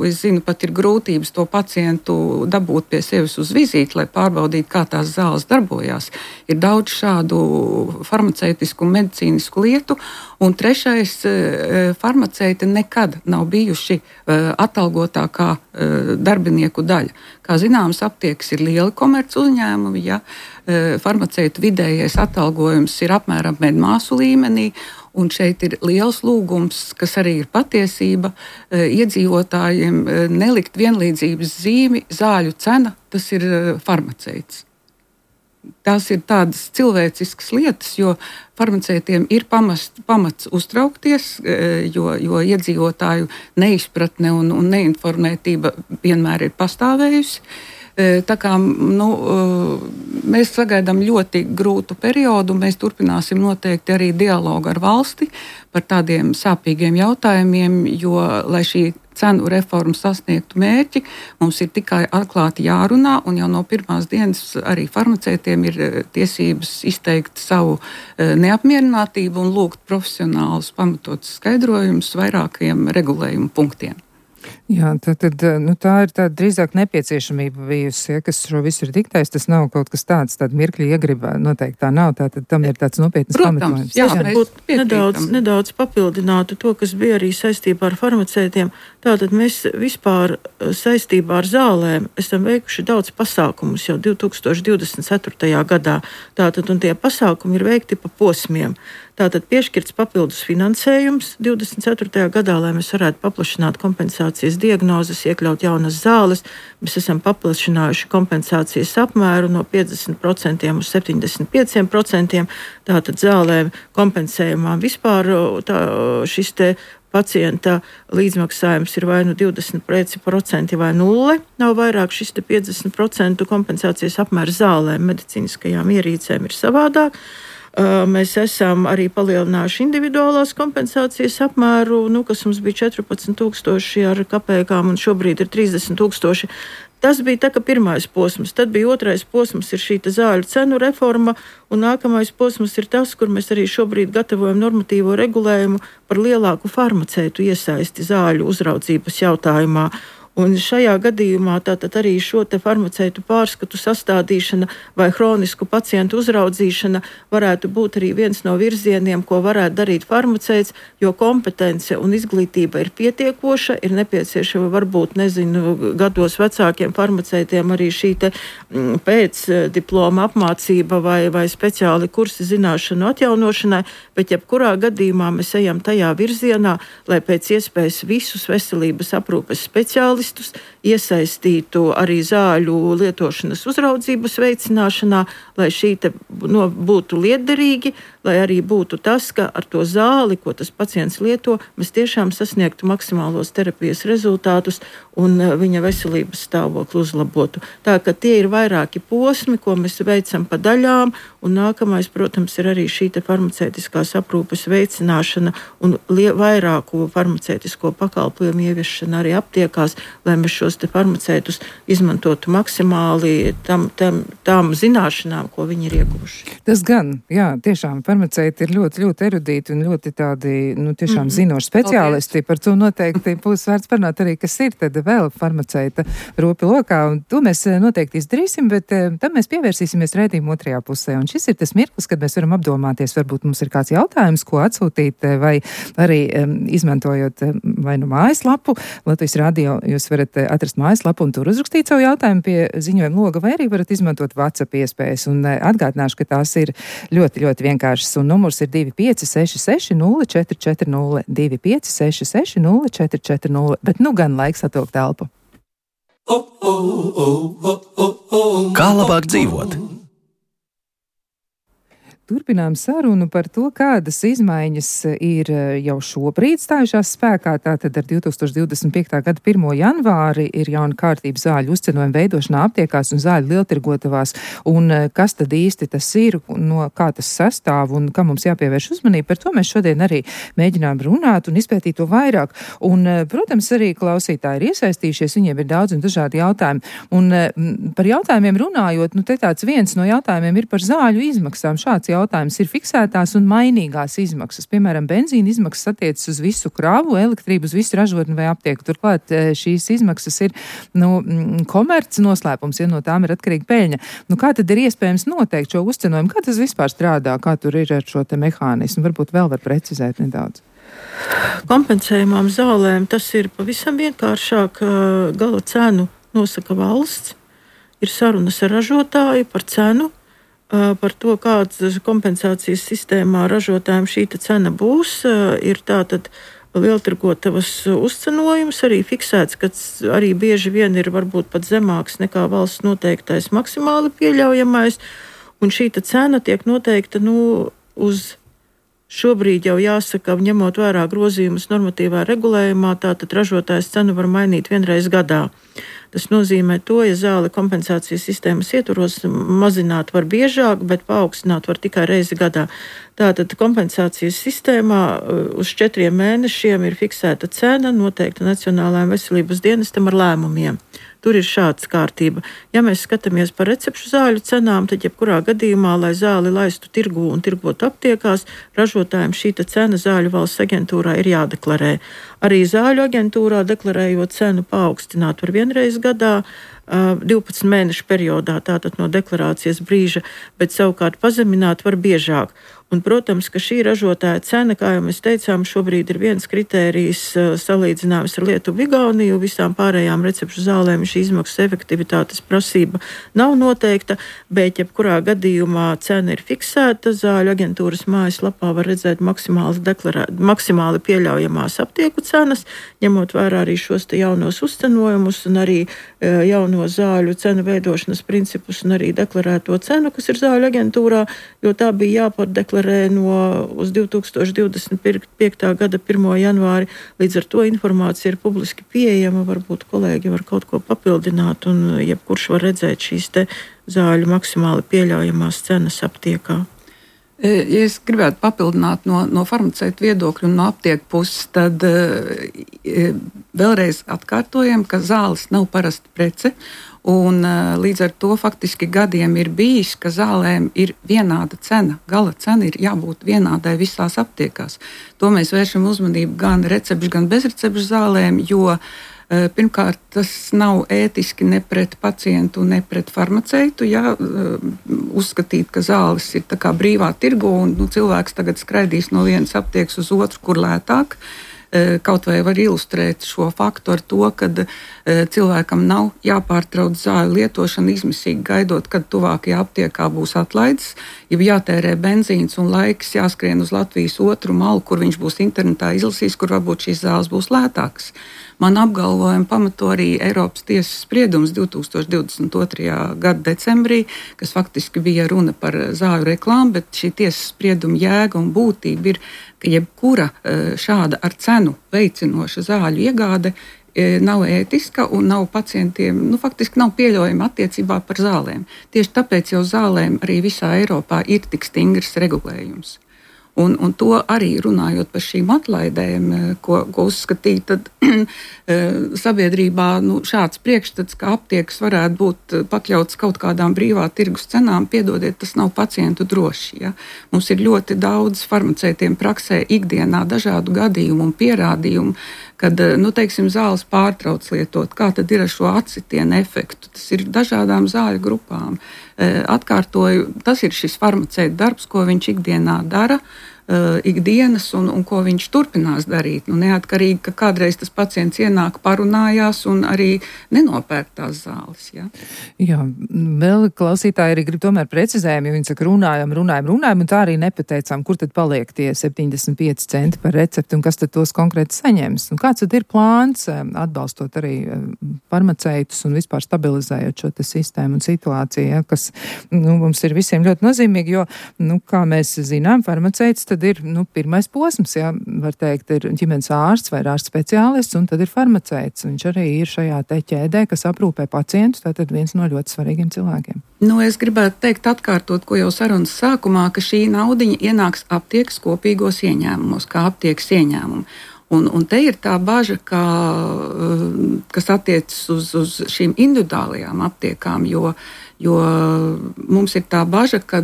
[SPEAKER 1] es zinu, pat ir grūtības to pacientu dabūt pie sevis uz vizīti, lai pārbaudītu, kā tās zāles darbojās. Ir daudz šādu farmaceitisku un medicīnisku lietu. Un trešais, farmaceiti nekad nav bijuši atalgotākā darbinieku daļa. Kā zināms, aptiekas ir lieli komerc uzņēmumi, ja farmaceitu vidējais atalgojums ir apmēram medmāsu līmenī. Un šeit ir liels lūgums, kas arī ir patiesība, iedzīvotājiem nelikt vienlīdzības zīmi, zāļu cena, tas ir farmaceits. Tās ir tādas cilvēciskas lietas, jo farmaceitiem ir pamats uztraukties, jo iedzīvotāju neizpratne un neinformētība vienmēr ir pastāvējusi. Tā kā mēs sagaidām ļoti grūtu periodu, mēs turpināsim noteikti arī dialogu ar valsti par tādiem sāpīgiem jautājumiem, jo, lai šī cenu reforma sasniegtu mērķi, mums ir tikai atklāti jārunā, un jau no pirmās dienas arī farmaceitiem ir tiesības izteikt savu neapmierinātību un lūgt profesionālus pamatotus skaidrojumus vairākiem regulējumu punktiem.
[SPEAKER 2] Jā, tā ir tāda drīzāk nepieciešamība bijusi, ja, kas šo visu ir diktējis. Tas nav kaut kas tāds, tāda mirkļa iegribā. Noteikti tā nav, tātad tam ir tāds nopietnas pamatojums.
[SPEAKER 3] Jā, varbūt nedaudz papildinātu to, kas bija arī saistībā ar farmaceitiem. Tātad mēs vispār saistībā ar zālēm esam veikuši daudz pasākumus jau 2024. gadā. Tātad, un tie pasākumi ir veikti pa posmiem. Tātad piešķirts papildus finansējums 24. gadā, lai mēs varētu paplašināt kompensācijas diagnozes, iekļaut jaunas zāles. Mēs esam paplašinājuši kompensācijas apmēru no 50% uz 75%. Tātad zālēm kompensējumām vispār šis te pacienta līdzmaksājums ir vai nu 20% vai 0. Nav vairāk šis te 50% kompensācijas apmērs zālēm, medicīniskajām ierīcēm ir savādāk. Mēs esam arī palielinājuši individuālās kompensācijas apmēru, kas mums bija 14,000 ar kapēkām un šobrīd ir 30,000. Tas bija tā, ka pirmais posms, tad bija otrais posms, ir šī zāļu cenu reforma, un nākamais posms ir tas, kur mēs arī šobrīd gatavojam normatīvo regulējumu par lielāku farmaceitu iesaisti zāļu uzraudzības jautājumā. Un šajā gadījumā tātad arī šo te farmaceitu pārskatu sastādīšana vai hronisku pacientu uzraudzīšana varētu būt arī viens no virzieniem, ko varētu darīt farmaceits, jo kompetence un izglītība ir pietiekoša, ir nepieciešama varbūt, gados vecākiem farmaceitiem arī šī te pēc diploma apmācība vai speciāli kursi zināšanu atjaunošanai, bet jebkurā gadījumā mēs ejam tajā virzienā, lai pēc iespējas visus veselības aprūpes speciālistus iesaistītu arī zāļu lietošanas uzraudzības veicināšanā, lai šī te būtu lietderīgi, lai arī būtu tas, ka ar to zāli, ko tas pacients lieto, mēs tiešām sasniegtu maksimālos terapijas rezultātus un viņa veselības stāvokli uzlabotu. Tā ka tie ir vairāki posmi, ko mēs veicam pa daļām, un nākamais, protams, ir arī šī te farmaceitiskās aprūpes veicināšana un vairāku farmaceitisko pakalpojumu ieviešana arī aptiekās, lai mēs šos te farmaceitus izmantotu maksimāli tām zināšanām, ko viņi ir ieguvuši.
[SPEAKER 2] Tas gan, jā, tiešām farmaceiti ir ļoti, ļoti erudīti un ļoti tādi, tiešām zinoši speciālisti. Par to noteikti būs vērts parunāt arī, kas ir tad vēl farmaceita ropi lokā, un to mēs noteikti izdarīsim, bet tam mēs pievērsīsimies raidījuma otrajā pusē. Un šis ir tas mirklis, kad mēs varam apdomāties, varbūt mums ir kāds jautājums, ko atsūtīt, vai arī izmantojot vai nu mājaslapu Latvijas radio, jūs jūs varat atrast mājaslapu un tur uzrakstīt savu jautājumu pie ziņojuma loga, vai arī varat izmantot WhatsApp iespējas. Un atgādināšu, ka tās ir ļoti, ļoti vienkāršas. Un numurs ir 2566 0440 2566 0440. Bet nu gan laiks atvilkt telpu.
[SPEAKER 5] Kā labāk dzīvot?
[SPEAKER 2] Turpinām sarunu par to, kādas izmaiņas ir jau šobrīd stājušās spēkā. Tātad ar 2025. gada 1. janvāri ir jauna kārtība zāļu uzcenojuma veidošanā aptiekās un zāļu lieltirgotavās. Un kas tad īsti tas ir, no kā tas sastāv un kam mums jāpievērš uzmanība, par to mēs šodien arī mēģinām runāt un izpētīt to vairāk. Un, protams, arī klausītāji ir iesaistījušies, viņiem ir daudz un dažādi jautājumi. Un par jautājumiem runājot, nu te tāds viens no jautājumiem ir par zāļu izmaksām. Šāds jautājums ir fiksētās un mainīgās izmaksas. Piemēram, benzīna izmaksas attiecas uz visu kravu, elektrību uz visu ražotni vai aptieku. Turklāt šīs izmaksas ir komerces noslēpums, ja no tām ir atkarīga peļņa. Nu, kā tad ir iespējams noteikt šo uzcenojumu? Kā tas vispār strādā? Kā tur ir ar šo te mehānismu? Varbūt vēl var precizēt nedaudz.
[SPEAKER 3] Kompensējumām zālēm tas ir pavisam vienkāršāk. Gala cenu nosaka valsts. Ir sarunas ar ražotāju par cenu. Par to, kādas kompensācijas sistēmā ražotājiem šī cena būs, ir tātad lieltirgotavas uzcenojums arī fiksēts, ka arī bieži vien ir varbūt pat zemāks nekā valsts noteiktais maksimāli pieļaujamais, un šī cena tiek noteikta uz šobrīd jau jāsaka, ņemot vērā grozījumus normatīvā regulējumā, tātad ražotājs cenu var mainīt vienreiz gadā. Tas nozīmē to, ja zāle kompensācijas sistēmas ietvaros mazināt var biežāk, bet paaugstināt var tikai reizi gadā. Tātad kompensācijas sistēmā uz 4 mēnešiem ir fiksēta cena, noteikta Nacionālajiem veselības dienestam ar lēmumiem. Tur ir šāds kārtība. Ja mēs skatāmies par recepšu zāļu cenām, tad jebkurā gadījumā, lai zāli laistu tirgū un tirgotu aptiekās, ražotājiem šī cena zāļu valsts aģentūrā ir jādeklarē. Arī zāļu aģentūrā deklarējot cenu paaugstināt var vienreiz gadā, 12 mēnešu periodā, tātad no deklarācijas brīža, bet savukārt pazemināt var biežāk. Un, protams, ka šī ražotāja cena, kā jau mēs teicām, šobrīd ir viens kritērijs salīdzinājums ar Lietuvu, Igauniju. Visām pārējām recepšu zālēm šī izmaksas efektivitātes prasība nav noteikta, bet jebkurā gadījumā cena ir fiksēta. Zāļu aģentūras mājaslapā var redzēt maksimāli pieļaujamās aptieku cenas, ņemot vērā arī šos te jaunos uzcenojumus un arī jauno zāļu cenu veidošanas principus un arī deklarēto cenu, kas ir zāļu aģentūrā, jo tā bija jāpārdeklarē uz 2025. gada 1. janvāri. Līdz ar to informācija ir publiski pieejama, varbūt kolēģi var kaut ko papildināt un jebkurš var redzēt šīs te zāļu maksimāli pieļaujamās cenas aptiekā.
[SPEAKER 1] Ja es gribētu papildināt no farmaceita viedokļa un no aptieku puses, tad vēlreiz atkārtojam, ka zāles nav parasta prece. Un līdz ar to faktiski gadiem ir bijis, ka zālēm ir vienāda cena. Gala cena ir jābūt vienādai visās aptiekās. To mēs vēršam uzmanību gan recepšu, gan bezrecepšu zālēm, jo pirmkārt tas nav ētiski ne pret pacientu, ne pret farmaceitu. Ja, uzskatīt, ka zāles ir tā kā brīvā tirgu un cilvēks tagad skraidīs no vienas aptiekas uz otru, kur lētāk. Kaut vai var ilustrēt šo faktu ar to, ka cilvēkam nav jāpārtrauc zāļu lietošana izmisīgi gaidot, kad tuvākajā aptiekā būs atlaides, ja jātērē benzīns un laiks jāskrien uz Latvijas otru malu, kur viņš būs internetā izlasījis, kur varbūt šīs zāles būs lētākas. Man apgalvojumu pamato arī Eiropas tiesas spriedums 2022. gada decembrī, kas faktiski bija runa par zāļu reklāmu, bet šī tiesas sprieduma jēga un būtība ir, ka jebkura šāda ar cenu veicinoša zāļu iegāde nav ētiska un nav pacientiem, faktiski nav pieļaujama attiecībā par zālēm. Tieši tāpēc jau zālēm arī visā Eiropā ir tik stingrs regulējums. Un to arī runājot par šīm atlaidēm, ko uzskatīt, tad sabiedrībā šāds priekšstats, ka aptiekas varētu būt pakļauts kaut kādām brīvā tirgus cenām, piedodiet, tas nav pacientu droši. Ja? Mums ir ļoti daudz farmaceitiem praksē ikdienā dažādu gadījumu un pierādījumu, kad, teiksim, zāles pārtrauc lietot, kā tad ir ar šo atsitienu efektu. Tas ir dažādām zāļu grupām. Atkārtoju, tas ir šis farmaceita darbs, ko viņš ikdienā dara. ikdienas un ko viņš turpinās darīt. Nu, neatkarīgi, ka kādreiz tas pacients ienāk, parunājās un arī nenopērk tās zāles. Ja?
[SPEAKER 2] Jā, vēl klausītāji arī grib tomēr precizējumu, jo viņi saka runājam, un tā arī nepateicām, kur tad paliek tie 75 centi par recepti un kas tad tos konkrēti saņems. Un kāds tad ir plāns atbalstot arī farmaceitus un vispār stabilizējot šo sistēmu un situāciju, ja, kas mums ir visiem ļoti nozīmīgi, jo, kā mēs zinām, farmaceits tad ir pirmais posms, ja, var teikt, ir ģimenes ārsts vai ārsts speciālists, un tad ir farmaceits. Viņš arī ir šajā te ķēdē, kas aprūpē pacientus, tātad viens no ļoti svarīgiem cilvēkiem.
[SPEAKER 1] Es gribētu teikt, atkārtot, ko jau sarunas sākumā, ka šī naudiņa ienāks aptiekas kopīgos ieņēmumos, kā aptiekas ieņēmumu. Un te ir tā baža, kas attiecas uz šīm individuālajām aptiekām, jo mums ir tā baža, ka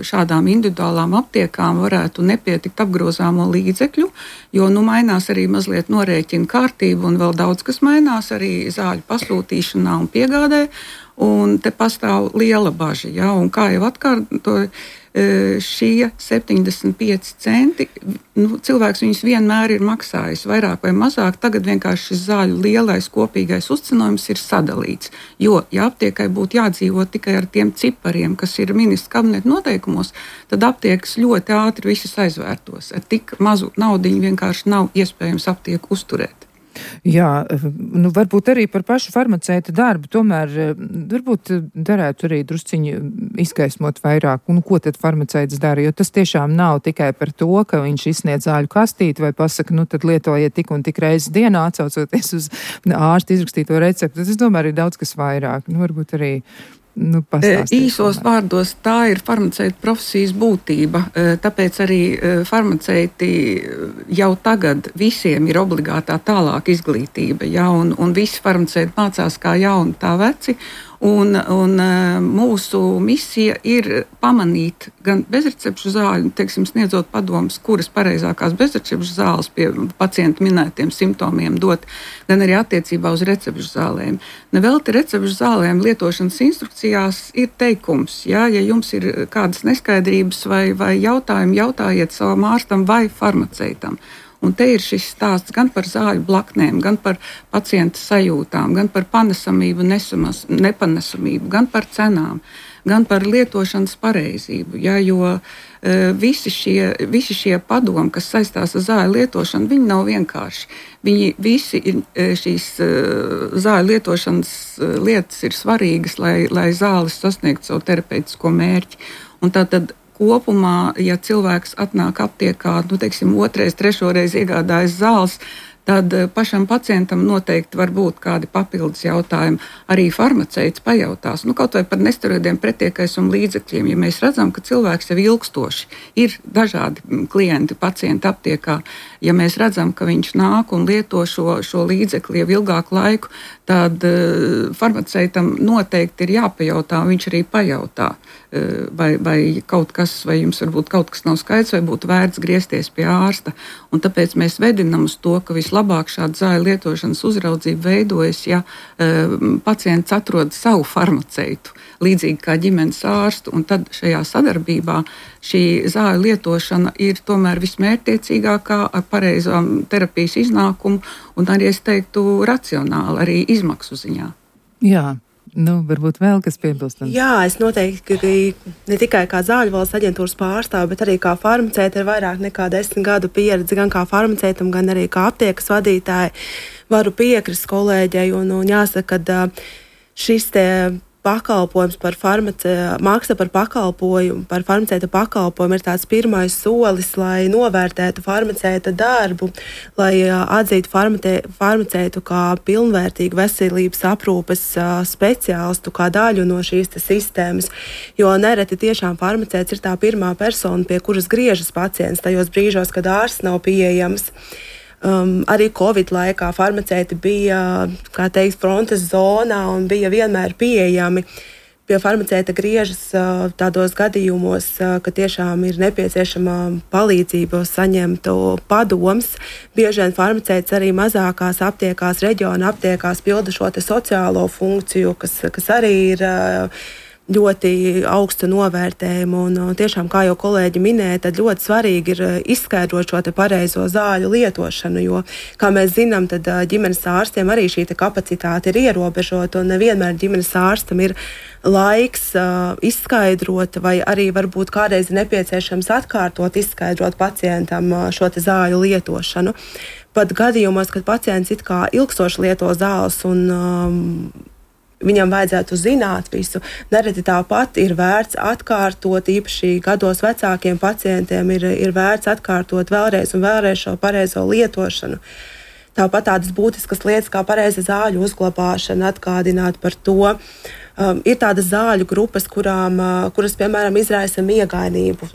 [SPEAKER 1] šādām individuālām aptiekām varētu nepietikt apgrozāmo līdzekļu, jo mainās arī mazliet norēķina kārtība un vēl daudz kas mainās arī zāļu pasūtīšanā un piegādē, un te pastāv liela baža. Ja? Un kā jau atkārtoju, šie 75 centi, cilvēks viņus vienmēr ir maksājis vairāk vai mazāk, tagad vienkārši šis zāļu lielais kopīgais uzcenojums ir sadalīts, jo, ja aptiekai būtu jādzīvot tikai ar tiem cipariem, kas ir ministra kabineta noteikumos, tad aptiekas ļoti ātri visas aizvērtos. Ar tik mazu naudiņu vienkārši nav iespējams aptieku uzturēt.
[SPEAKER 2] Jā, varbūt arī par pašu farmaceita darbu, tomēr varbūt darētu arī drusciņu izgaismot vairāk, ko tad farmaceits dara, jo tas tiešām nav tikai par to, ka viņš izsniedz zāļu kastīti vai pasaka, tad lietojiet tik un tik reizes dienā, atsaucoties uz ārsta izrakstīto receptu. Es domāju, arī daudz kas vairāk, varbūt arī
[SPEAKER 1] īsos vārdos tā ir farmaceita profesijas būtība, tāpēc arī farmaceiti jau tagad visiem ir obligātā tālāk izglītība, ja, un visi farmaceiti mācās kā jauni, tā veci, un mūsu misija ir pamanīt gan bezrecepšu zāļu, sniedzot padomus, kuras pareizākās bezrecepšu zāles pie pacienta minētiem simptomiem dot, gan arī attiecībā uz recepšu zālēm. Nevelti recepšu zālēm lietošanas instrukcijās ir teikums, ja jums ir kādas neskaidrības vai jautājumi, jautājiet savam ārstam vai farmaceitam. Un te ir šis stāsts gan par zāļu blaknēm, gan par pacienta sajūtām, gan par panesamību, nepanesamību, gan par cenām, gan par lietošanas pareizību. Ja, jo visi šie padomi, kas saistās ar zāļu lietošanu, viņi nav vienkārši. Viņi visi ir šīs zāļu lietošanas lietas ir svarīgas, lai zāles sasniegtu savu terapeitisko mērķi. Un tātad kopumā, ja cilvēks atnāk aptiekā, otrais, trešoreiz iegādājas zāles, tad pašam pacientam noteikti var būt kādi papildus jautājumi. Arī farmaceits pajautās, kaut vai par nesteroidiem pretiekaisuma līdzekļiem. Ja mēs redzam, ka cilvēks jau ilgstoši ir dažādi klienti, pacienti aptiekā, ja mēs redzam, ka viņš nāk un lieto šo līdzekli jau ilgāku laiku, tad farmaceitam noteikti ir jāpajautā, viņš arī pajautā, vai kaut kas, vai jums varbūt kaut kas nav skaidrs, vai būtu vērts griezties pie ārsta. Un tāpēc mēs vedinam uz to, ka vislabāk šāda zāļu lietošanas uzraudzība veidojas, ja pacients atrod savu farmaceitu, līdzīgi kā ģimenes ārstu, un tad šajā sadarbībā šī zāļu lietošana ir tomēr vismērķtiecīgākā ar pareizām terapijas iznākumu, un arī, es teiktu, racionāli, arī izmaksu ziņā.
[SPEAKER 2] Jā. Varbūt vēl kas piebilstams.
[SPEAKER 4] Jā, es noteikti ne tikai kā Zāļu valsts aģentūras pārstāve, bet arī kā farmaceita ar vairāk nekā 10 gadu pieredzi, gan kā farmaceitam, gan arī kā aptiekas vadītāji, varu piekrist kolēģei un jāsaka, ka šis te pakalpojums maksa par pakalpojumu, par farmaceita pakalpojumu ir tāds pirmais solis, lai novērtētu farmaceita darbu, lai atzītu farmaceitu kā pilnvērtīgu veselības aprūpes speciālistu, kā daļu no šīs sistēmas, jo nereti tiešām farmaceits ir tā pirmā persona, pie kuras griežas pacients tajos brīžos, kad ārsts nav pieejams. Arī Covid laikā farmaceiti bija, frontes zonā un bija vienmēr pieejami. Pie farmaceita griežas tādos gadījumos, ka tiešām ir nepieciešama palīdzība saņemt padoms. Bieži vien farmaceits arī mazākās aptiekās, reģiona aptiekās pilda šo sociālo funkciju, kas arī ir ļoti augstu novērtējumu. Un tiešām, kā jau kolēģi minēja, tad ļoti svarīgi ir izskaidrot šo pareizo zāļu lietošanu, jo, kā mēs zinām, tad ģimenes ārstiem arī šī kapacitāte ir ierobežota, un nevienmēr ģimenes ārstam ir laiks izskaidrot, vai arī varbūt kādreiz ir nepieciešams atkārtot izskaidrot pacientam šo zāļu lietošanu. Pat gadījumos, kad pacients it kā ilgstoši lieto zāles un viņam vajadzētu zināt visu. Nereti tāpat ir vērts atkārtot, īpaši gados vecākiem pacientiem ir vērts atkārtot vēlreiz un vēlreiz šo pareizo lietošanu. Tāpat tādas būtiskas lietas kā pareiza zāļu uzglabāšana, atgādināt par to. Ir tādas zāļu grupas, kuras, piemēram, izraisa miegainību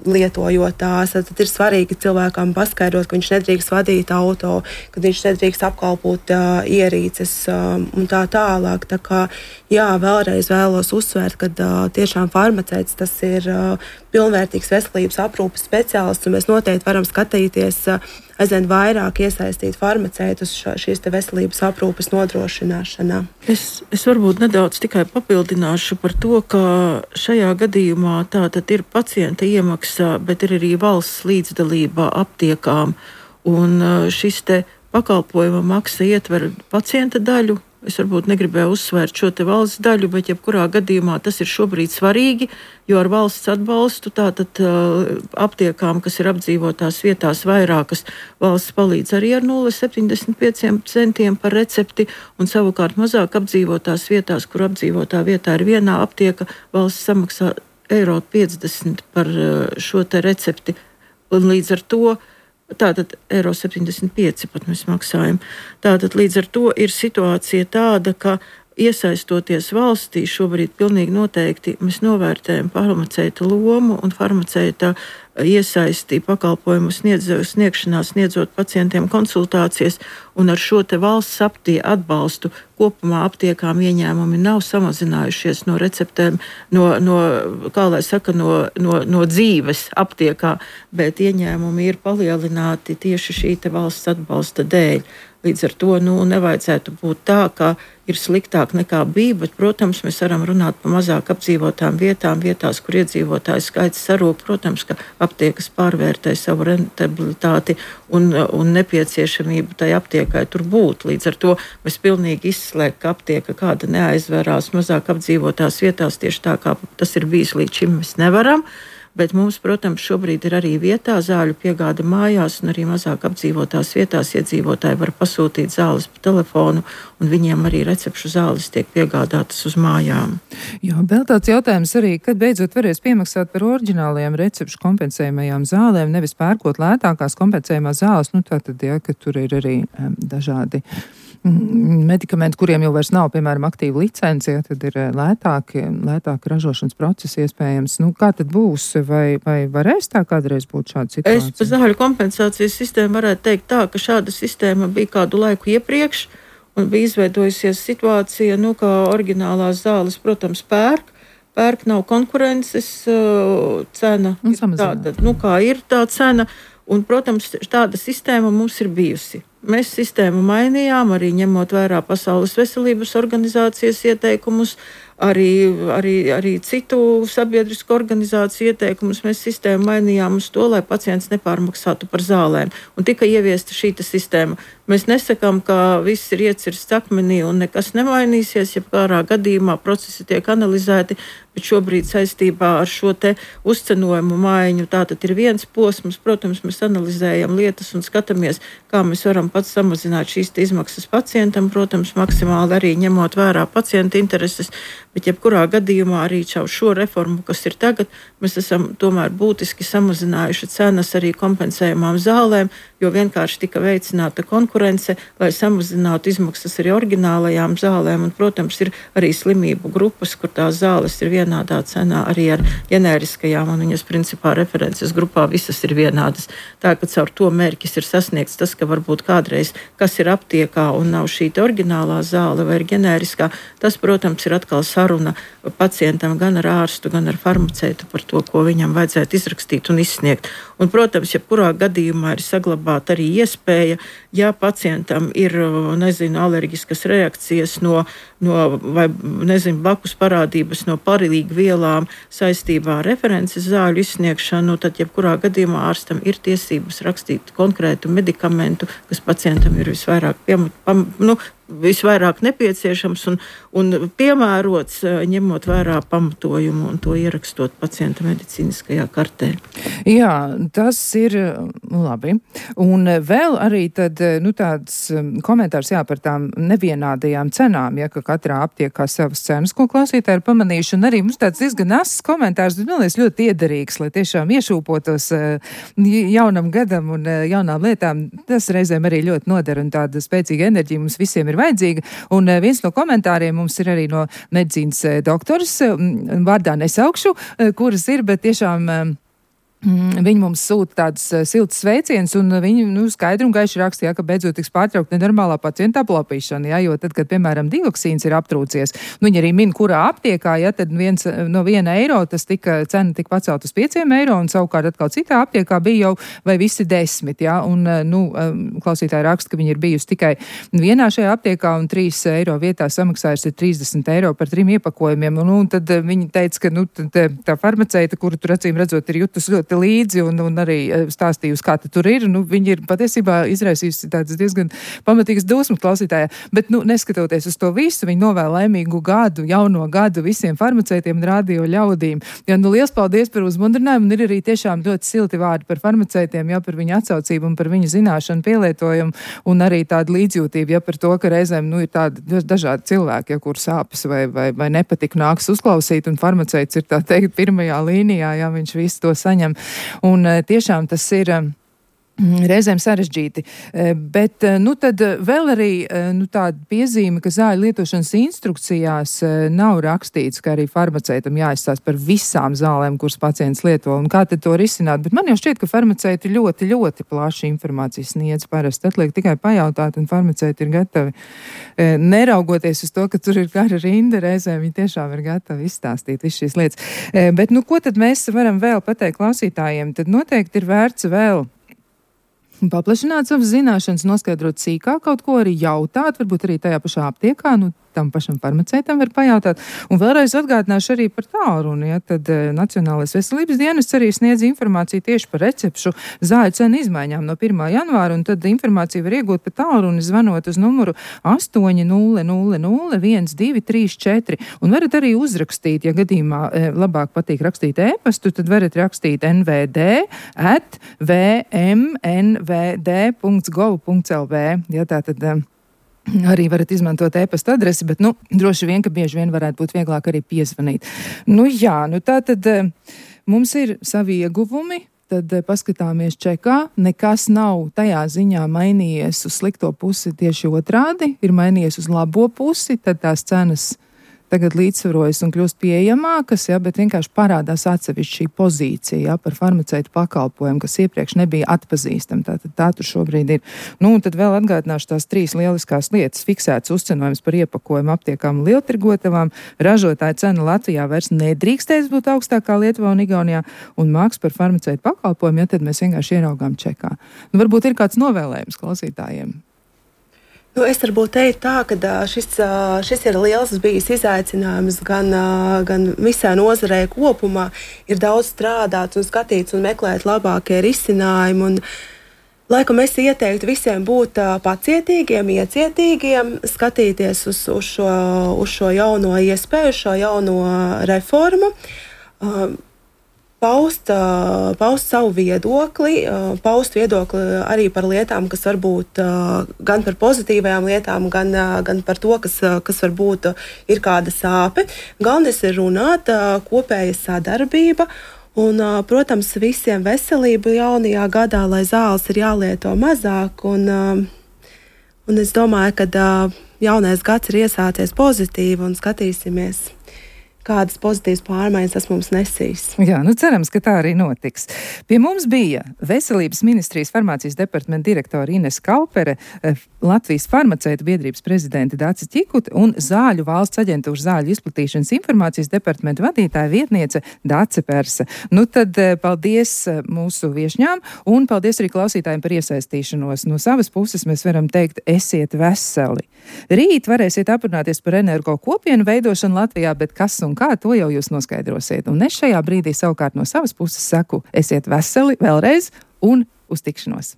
[SPEAKER 4] lietojot tās. Tad ir svarīgi cilvēkam paskaidrot, ka viņš nedrīkst vadīt auto, ka viņš nedrīkst apkalpot ierīces un tā tālāk. Tā kā, jā, vēlreiz vēlos uzsvērt, ka tiešām farmaceits tas ir pilnvērtīgs veselības aprūpes speciālists, un mēs noteikti varam skatīties aizvien vairāk iesaistīt farmaceitus šīs veselības aprūpes nodrošināšanā.
[SPEAKER 3] Es varbūt nedaudz tikai papildināšu par to, ka šajā gadījumā tātad ir pacienta iemaksa, bet ir arī valsts līdzdalība aptiekām, un šis pakalpojuma maksa ietver pacienta daļu. Es varbūt negribēju uzsvērt šo valsts daļu, bet jebkurā gadījumā tas ir šobrīd svarīgi, jo ar valsts atbalstu tātad aptiekām, kas ir apdzīvotās vietās vairākas, valsts palīdz arī ar 0,75 centiem par recepti, un savukārt mazāk apdzīvotās vietās, kur apdzīvotā vietā ir vienā aptieka, valsts samaksā €50 par šo recepti, un līdz ar to tātad €75 pat mēs maksājam. Tātad līdz ar to ir situācija tāda, ka iesaistoties valstī šobrīd pilnīgi noteikti mēs novērtējam farmaceita lomu un farmaceita iesaisti pakalpojumu sniegšanā, sniedzot pacientiem konsultācijas, un ar šo valsts atbalstu kopumā aptiekām ieņēmumi nav samazinājušies no receptēm, no dzīves aptiekā, bet ieņēmumi ir palielināti tieši šī valsts atbalsta dēļ. Līdz ar to nevajadzētu būt tā, ka ir sliktāk nekā bija, bet, protams, mēs varam runāt par mazāk apdzīvotām vietās, kur iedzīvotāju skaits sarūk. Protams, ka aptiekas pārvērtē savu rentabilitāti un nepieciešamību tai aptiekai tur būt. Līdz ar to mēs pilnīgi izslēgt, ka aptieka kāda neaizverās mazāk apdzīvotās vietās, tieši tā kā tas ir bijis līdz šim, mēs nevaram. Bet mums, protams, šobrīd ir arī vietā zāļu piegāde mājās, un arī mazāk apdzīvotās vietās iedzīvotāji var pasūtīt zāles pa telefonu, un viņiem arī recepšu zāles tiek piegādātas uz mājām.
[SPEAKER 2] Jā, vēl tāds jautājums arī, kad beidzot varēs piemaksāt par oriģinālajām recepšu kompensējumajām zālēm, nevis pērkot lētākās kompensējumās zāles, tātad, jā, ka tur ir arī dažādi medikamenti, kuriem jau vairs nav, piemēram, aktīva licence, ja, tad ir lētāki ražošanas procesi iespējams. Kā tad būs? Vai varēs tā kādreiz būt šāda situācija?
[SPEAKER 3] Es par zāļu kompensācijas sistēmu varētu teikt tā, ka šāda sistēma bija kādu laiku iepriekš, un bija izveidojusies situācija, ka oriģinālās zāles, protams, pērk nav konkurences, cena ir tāda, kā ir tā cena, un, protams, tāda sistēma mums ir bijusi. Mēs sistēmu mainījām, arī ņemot vērā Pasaules veselības organizācijas ieteikumus, arī citu sabiedrisku organizāciju ieteikumus. Mēs sistēmu mainījām uz to, lai pacients nepārmaksātu par zālēm. Un tika ieviesta šī sistēma. Mēs nesakām, ka viss ir iecirsts akmenī un nekas nemainīsies, ja kādā gadījumā procesi tiek analizēti, bet šobrīd saistībā ar šo uzcenojumu maiņu tātad ir viens posms. Protams, mēs analizējam lietas un skatāmies, kā mēs varam pats samazināt šīs izmaksas pacientam, protams, maksimāli arī ņemot vērā pacienta intereses, bet jebkurā gadījumā arī caur šo reformu, kas ir tagad, mēs esam tomēr būtiski samazinājuši cenas arī kompensējumām zālēm, jo vienkārši tika veicināta konkurence, lai samazinātu izmaksas arī oriģinālajām zālēm, un, protams, ir arī slimību grupas, kur tās zāles ir vienādā cenā arī ar ģenēriskajām, un viņas principā references grupā visas ir vienādas. Tā, ka caur to mērķis ir sasniegts tas, ka varbūt kādreiz, kas ir aptiekā un nav šī oriģinālā zāle vai ir ģenēriskā, tas, protams, ir atkal saruna pacientam gan ar ārstu, gan ar farmaceitu par to, ko viņam vajadzētu izrakstīt un izsniegt. Un, protams, jebkurā gadījumā ir saglabāta arī iespēja, ja pacientam ir, alerģiskas reakcijas no blakus parādības no paralīgu vielām saistībā ar references zāļu izsniegšanu, tad jebkurā gadījumā ārstam ir tiesības rakstīt konkrētu medikamentu, kas pacientam ir visvairāk nepieciešams un piemērots, ņemot vērā pamatojumu un to ierakstot pacienta medicīniskajā kartē.
[SPEAKER 2] Jā, tas ir labi. Un vēl arī tad, tāds komentārs par tām nevienādajām cenām, ka katrā aptiekā savas cenas, ko klausītāji ir pamanījuši, un arī mums tāds diezgan asas komentārs, bet man liekas ļoti iederīgs, lai tiešām iešūpotos jaunam gadam un jaunām lietām. Tas reizēm arī ļoti noder un tāda spēcīga enerģija mums visiem ir vajadzīga. Un viens no komentāriem mums ir arī no medicīnas doktors, vārdā nesaukšu, kuras ir, bet tiešām viņi mums sūta tādas siltas sveiciens, un viņi skaidri un gaiši rakstīja, ka beidzot tiks pārtraukt nenormālā pacienta aplapīšana, jo tad, kad, piemēram, dioksīns ir aptrūcies, viņi arī min, kurā aptiekā, tad no 1 eiro tas cena tika pacelt uz 5 eiro, un savukārt atkal citā aptiekā bija jau vai visi 10, un, klausītāji raksta, ka viņi ir bijusi tikai vienā šajā aptiekā, un 3 eiro vietā samaksājusi 30 eiro par 3 iepakojumiem, un tad viņi teica, ka, tā farmaceita, kuru tur acīm redzot ir jutus ļoti līdzi un arī stāstījusi, kā tur ir. Viņi ir patiesībā izraisījusi tādas diezgan pamatīgas dusmas klausītājā. Bet, neskatoties uz to visu, viņi novēl laimīgu gadu, jauno gadu visiem farmaceitiem un radio ļaudīm. Liels paldies par uzmundrinājumu, un ir arī tiešām ļoti silti vārdi par farmaceitiem, par viņu atsaucību un par viņu zināšanu pielietojumu, un arī tāda līdzjūtība, par to, ka reizēm, ir tādi dažādi cilvēki, kur sāpes vai nepatika nāks uzklausīt, un farmaceits ir tā teikt pirmajā līnijā, viņš visu to saņem. Un tiešām tas ir reizēm sarežģīti, bet tad vēl arī tāda piezīme, ka zāļu lietošanas instrukcijās nav rakstīts, ka arī farmaceitam jāizstāsta par visām zālēm, kuras pacients lieto, un kā tad to risināt, bet man jau šķiet, ka farmaceiti ļoti, ļoti plaši informācijas sniedz parasti, atliek tikai pajautāt, un farmaceiti ir gatavi, neraugoties uz to, ka tur ir gara rinda, reizēm viņi tiešām ir gatavi izstāstīt visu šīs lietas. Bet ko tad mēs varam vēl pateikt klausītājiem? Tad noteikti ir vērts vēl paplašināt savas zināšanas, noskaidrot sīkāk kaut ko, arī jautāt, varbūt arī tajā pašā aptiekā, tam pašam farmaceitam var pajautāt. Un vēlreiz atgādināšu arī par tālruni, tad Nacionālais veselības dienests arī sniedz informāciju tieši par recepšu zāļu cenu izmaiņām no 1. janvāra, un tad informāciju var iegūt pa tālruni, zvanot uz numuru 800 1234, un varat arī uzrakstīt, ja gadījumā labāk patīk rakstīt e-pastu, tad varat rakstīt nvd@vmnvd.gov.lv, tātad arī varat izmantot e-pasta adresi, bet, droši vien, ka bieži vien varētu būt vieglāk arī piezvanīt. Tātad mums ir savi ieguvumi, tad paskatāmies čekā, nekas nav tajā ziņā mainījies uz slikto pusi, tieši otrādi, ir mainījies uz labo pusi, tad tās cenas tagad līdzsvarojas un kļūst pieejamākas, bet vienkārši parādās atsevišķi šī pozīcija par farmaceitu pakalpojumu, kas iepriekš nebija atpazīstama. Tātad tā tur šobrīd ir. Un tad vēl atgādināšu tās 3 lieliskās lietas. Fiksēts uzcenojums par iepakojumu aptiekām un lieltirgotavām, ražotāja cena Latvijā vairs nedrīkstēs būt augstākā Lietuvā un Igaunijā, un maksa par farmaceitu pakalpojumu, tad mēs vienkārši ieraugām čekā. Varbūt ir kāds novēlējums klausītājiem.
[SPEAKER 4] Es varbūt teiktu tā, ka šis ir liels bijis izaicinājums gan visā nozarē kopumā. Ir daudz strādāts un skatīts un meklēt labākie risinājumi. Un, laikam es ieteiktu visiem būt pacietīgiem, iecietīgiem, skatīties uz šo jauno iespēju, šo jauno reformu. Paust savu viedokli, arī par lietām, kas varbūt gan par pozitīvajām lietām, gan par to, kas varbūt ir kāda sāpe. Galvenais ir runāt, kopēja sadarbība un, protams, visiem veselību jaunajā gadā, lai zāles ir jālieto mazāk. Un es domāju, ka jaunais gads ir iesācies pozitīvi un skatīsimies, kādas pozitīvas pārmaiņas tas mums nesīs.
[SPEAKER 2] Jā, cerams, ka tā arī notiks. Pie mums bija Veselības ministrijas farmācijas departamenta direktora Ines Kaupere, Latvijas farmaceitu biedrības prezidente Dace Ķikute un Zāļu valsts aģentūras zāļu izplatīšanas informācijas departamenta vadītāja vietniece Dace Perse. Tad paldies mūsu viešņām un paldies arī klausītājiem par iesaistīšanos. No savas puses mēs varam teikt, esiet veseli. Rīt varēsiet aprunāties par energo kopienu veidošanu Latvijā, bet kas un kā, to jau jūs noskaidrosiet. Un es šajā brīdī savukārt no savas puses saku, esiet veseli vēlreiz un uz tikšanos.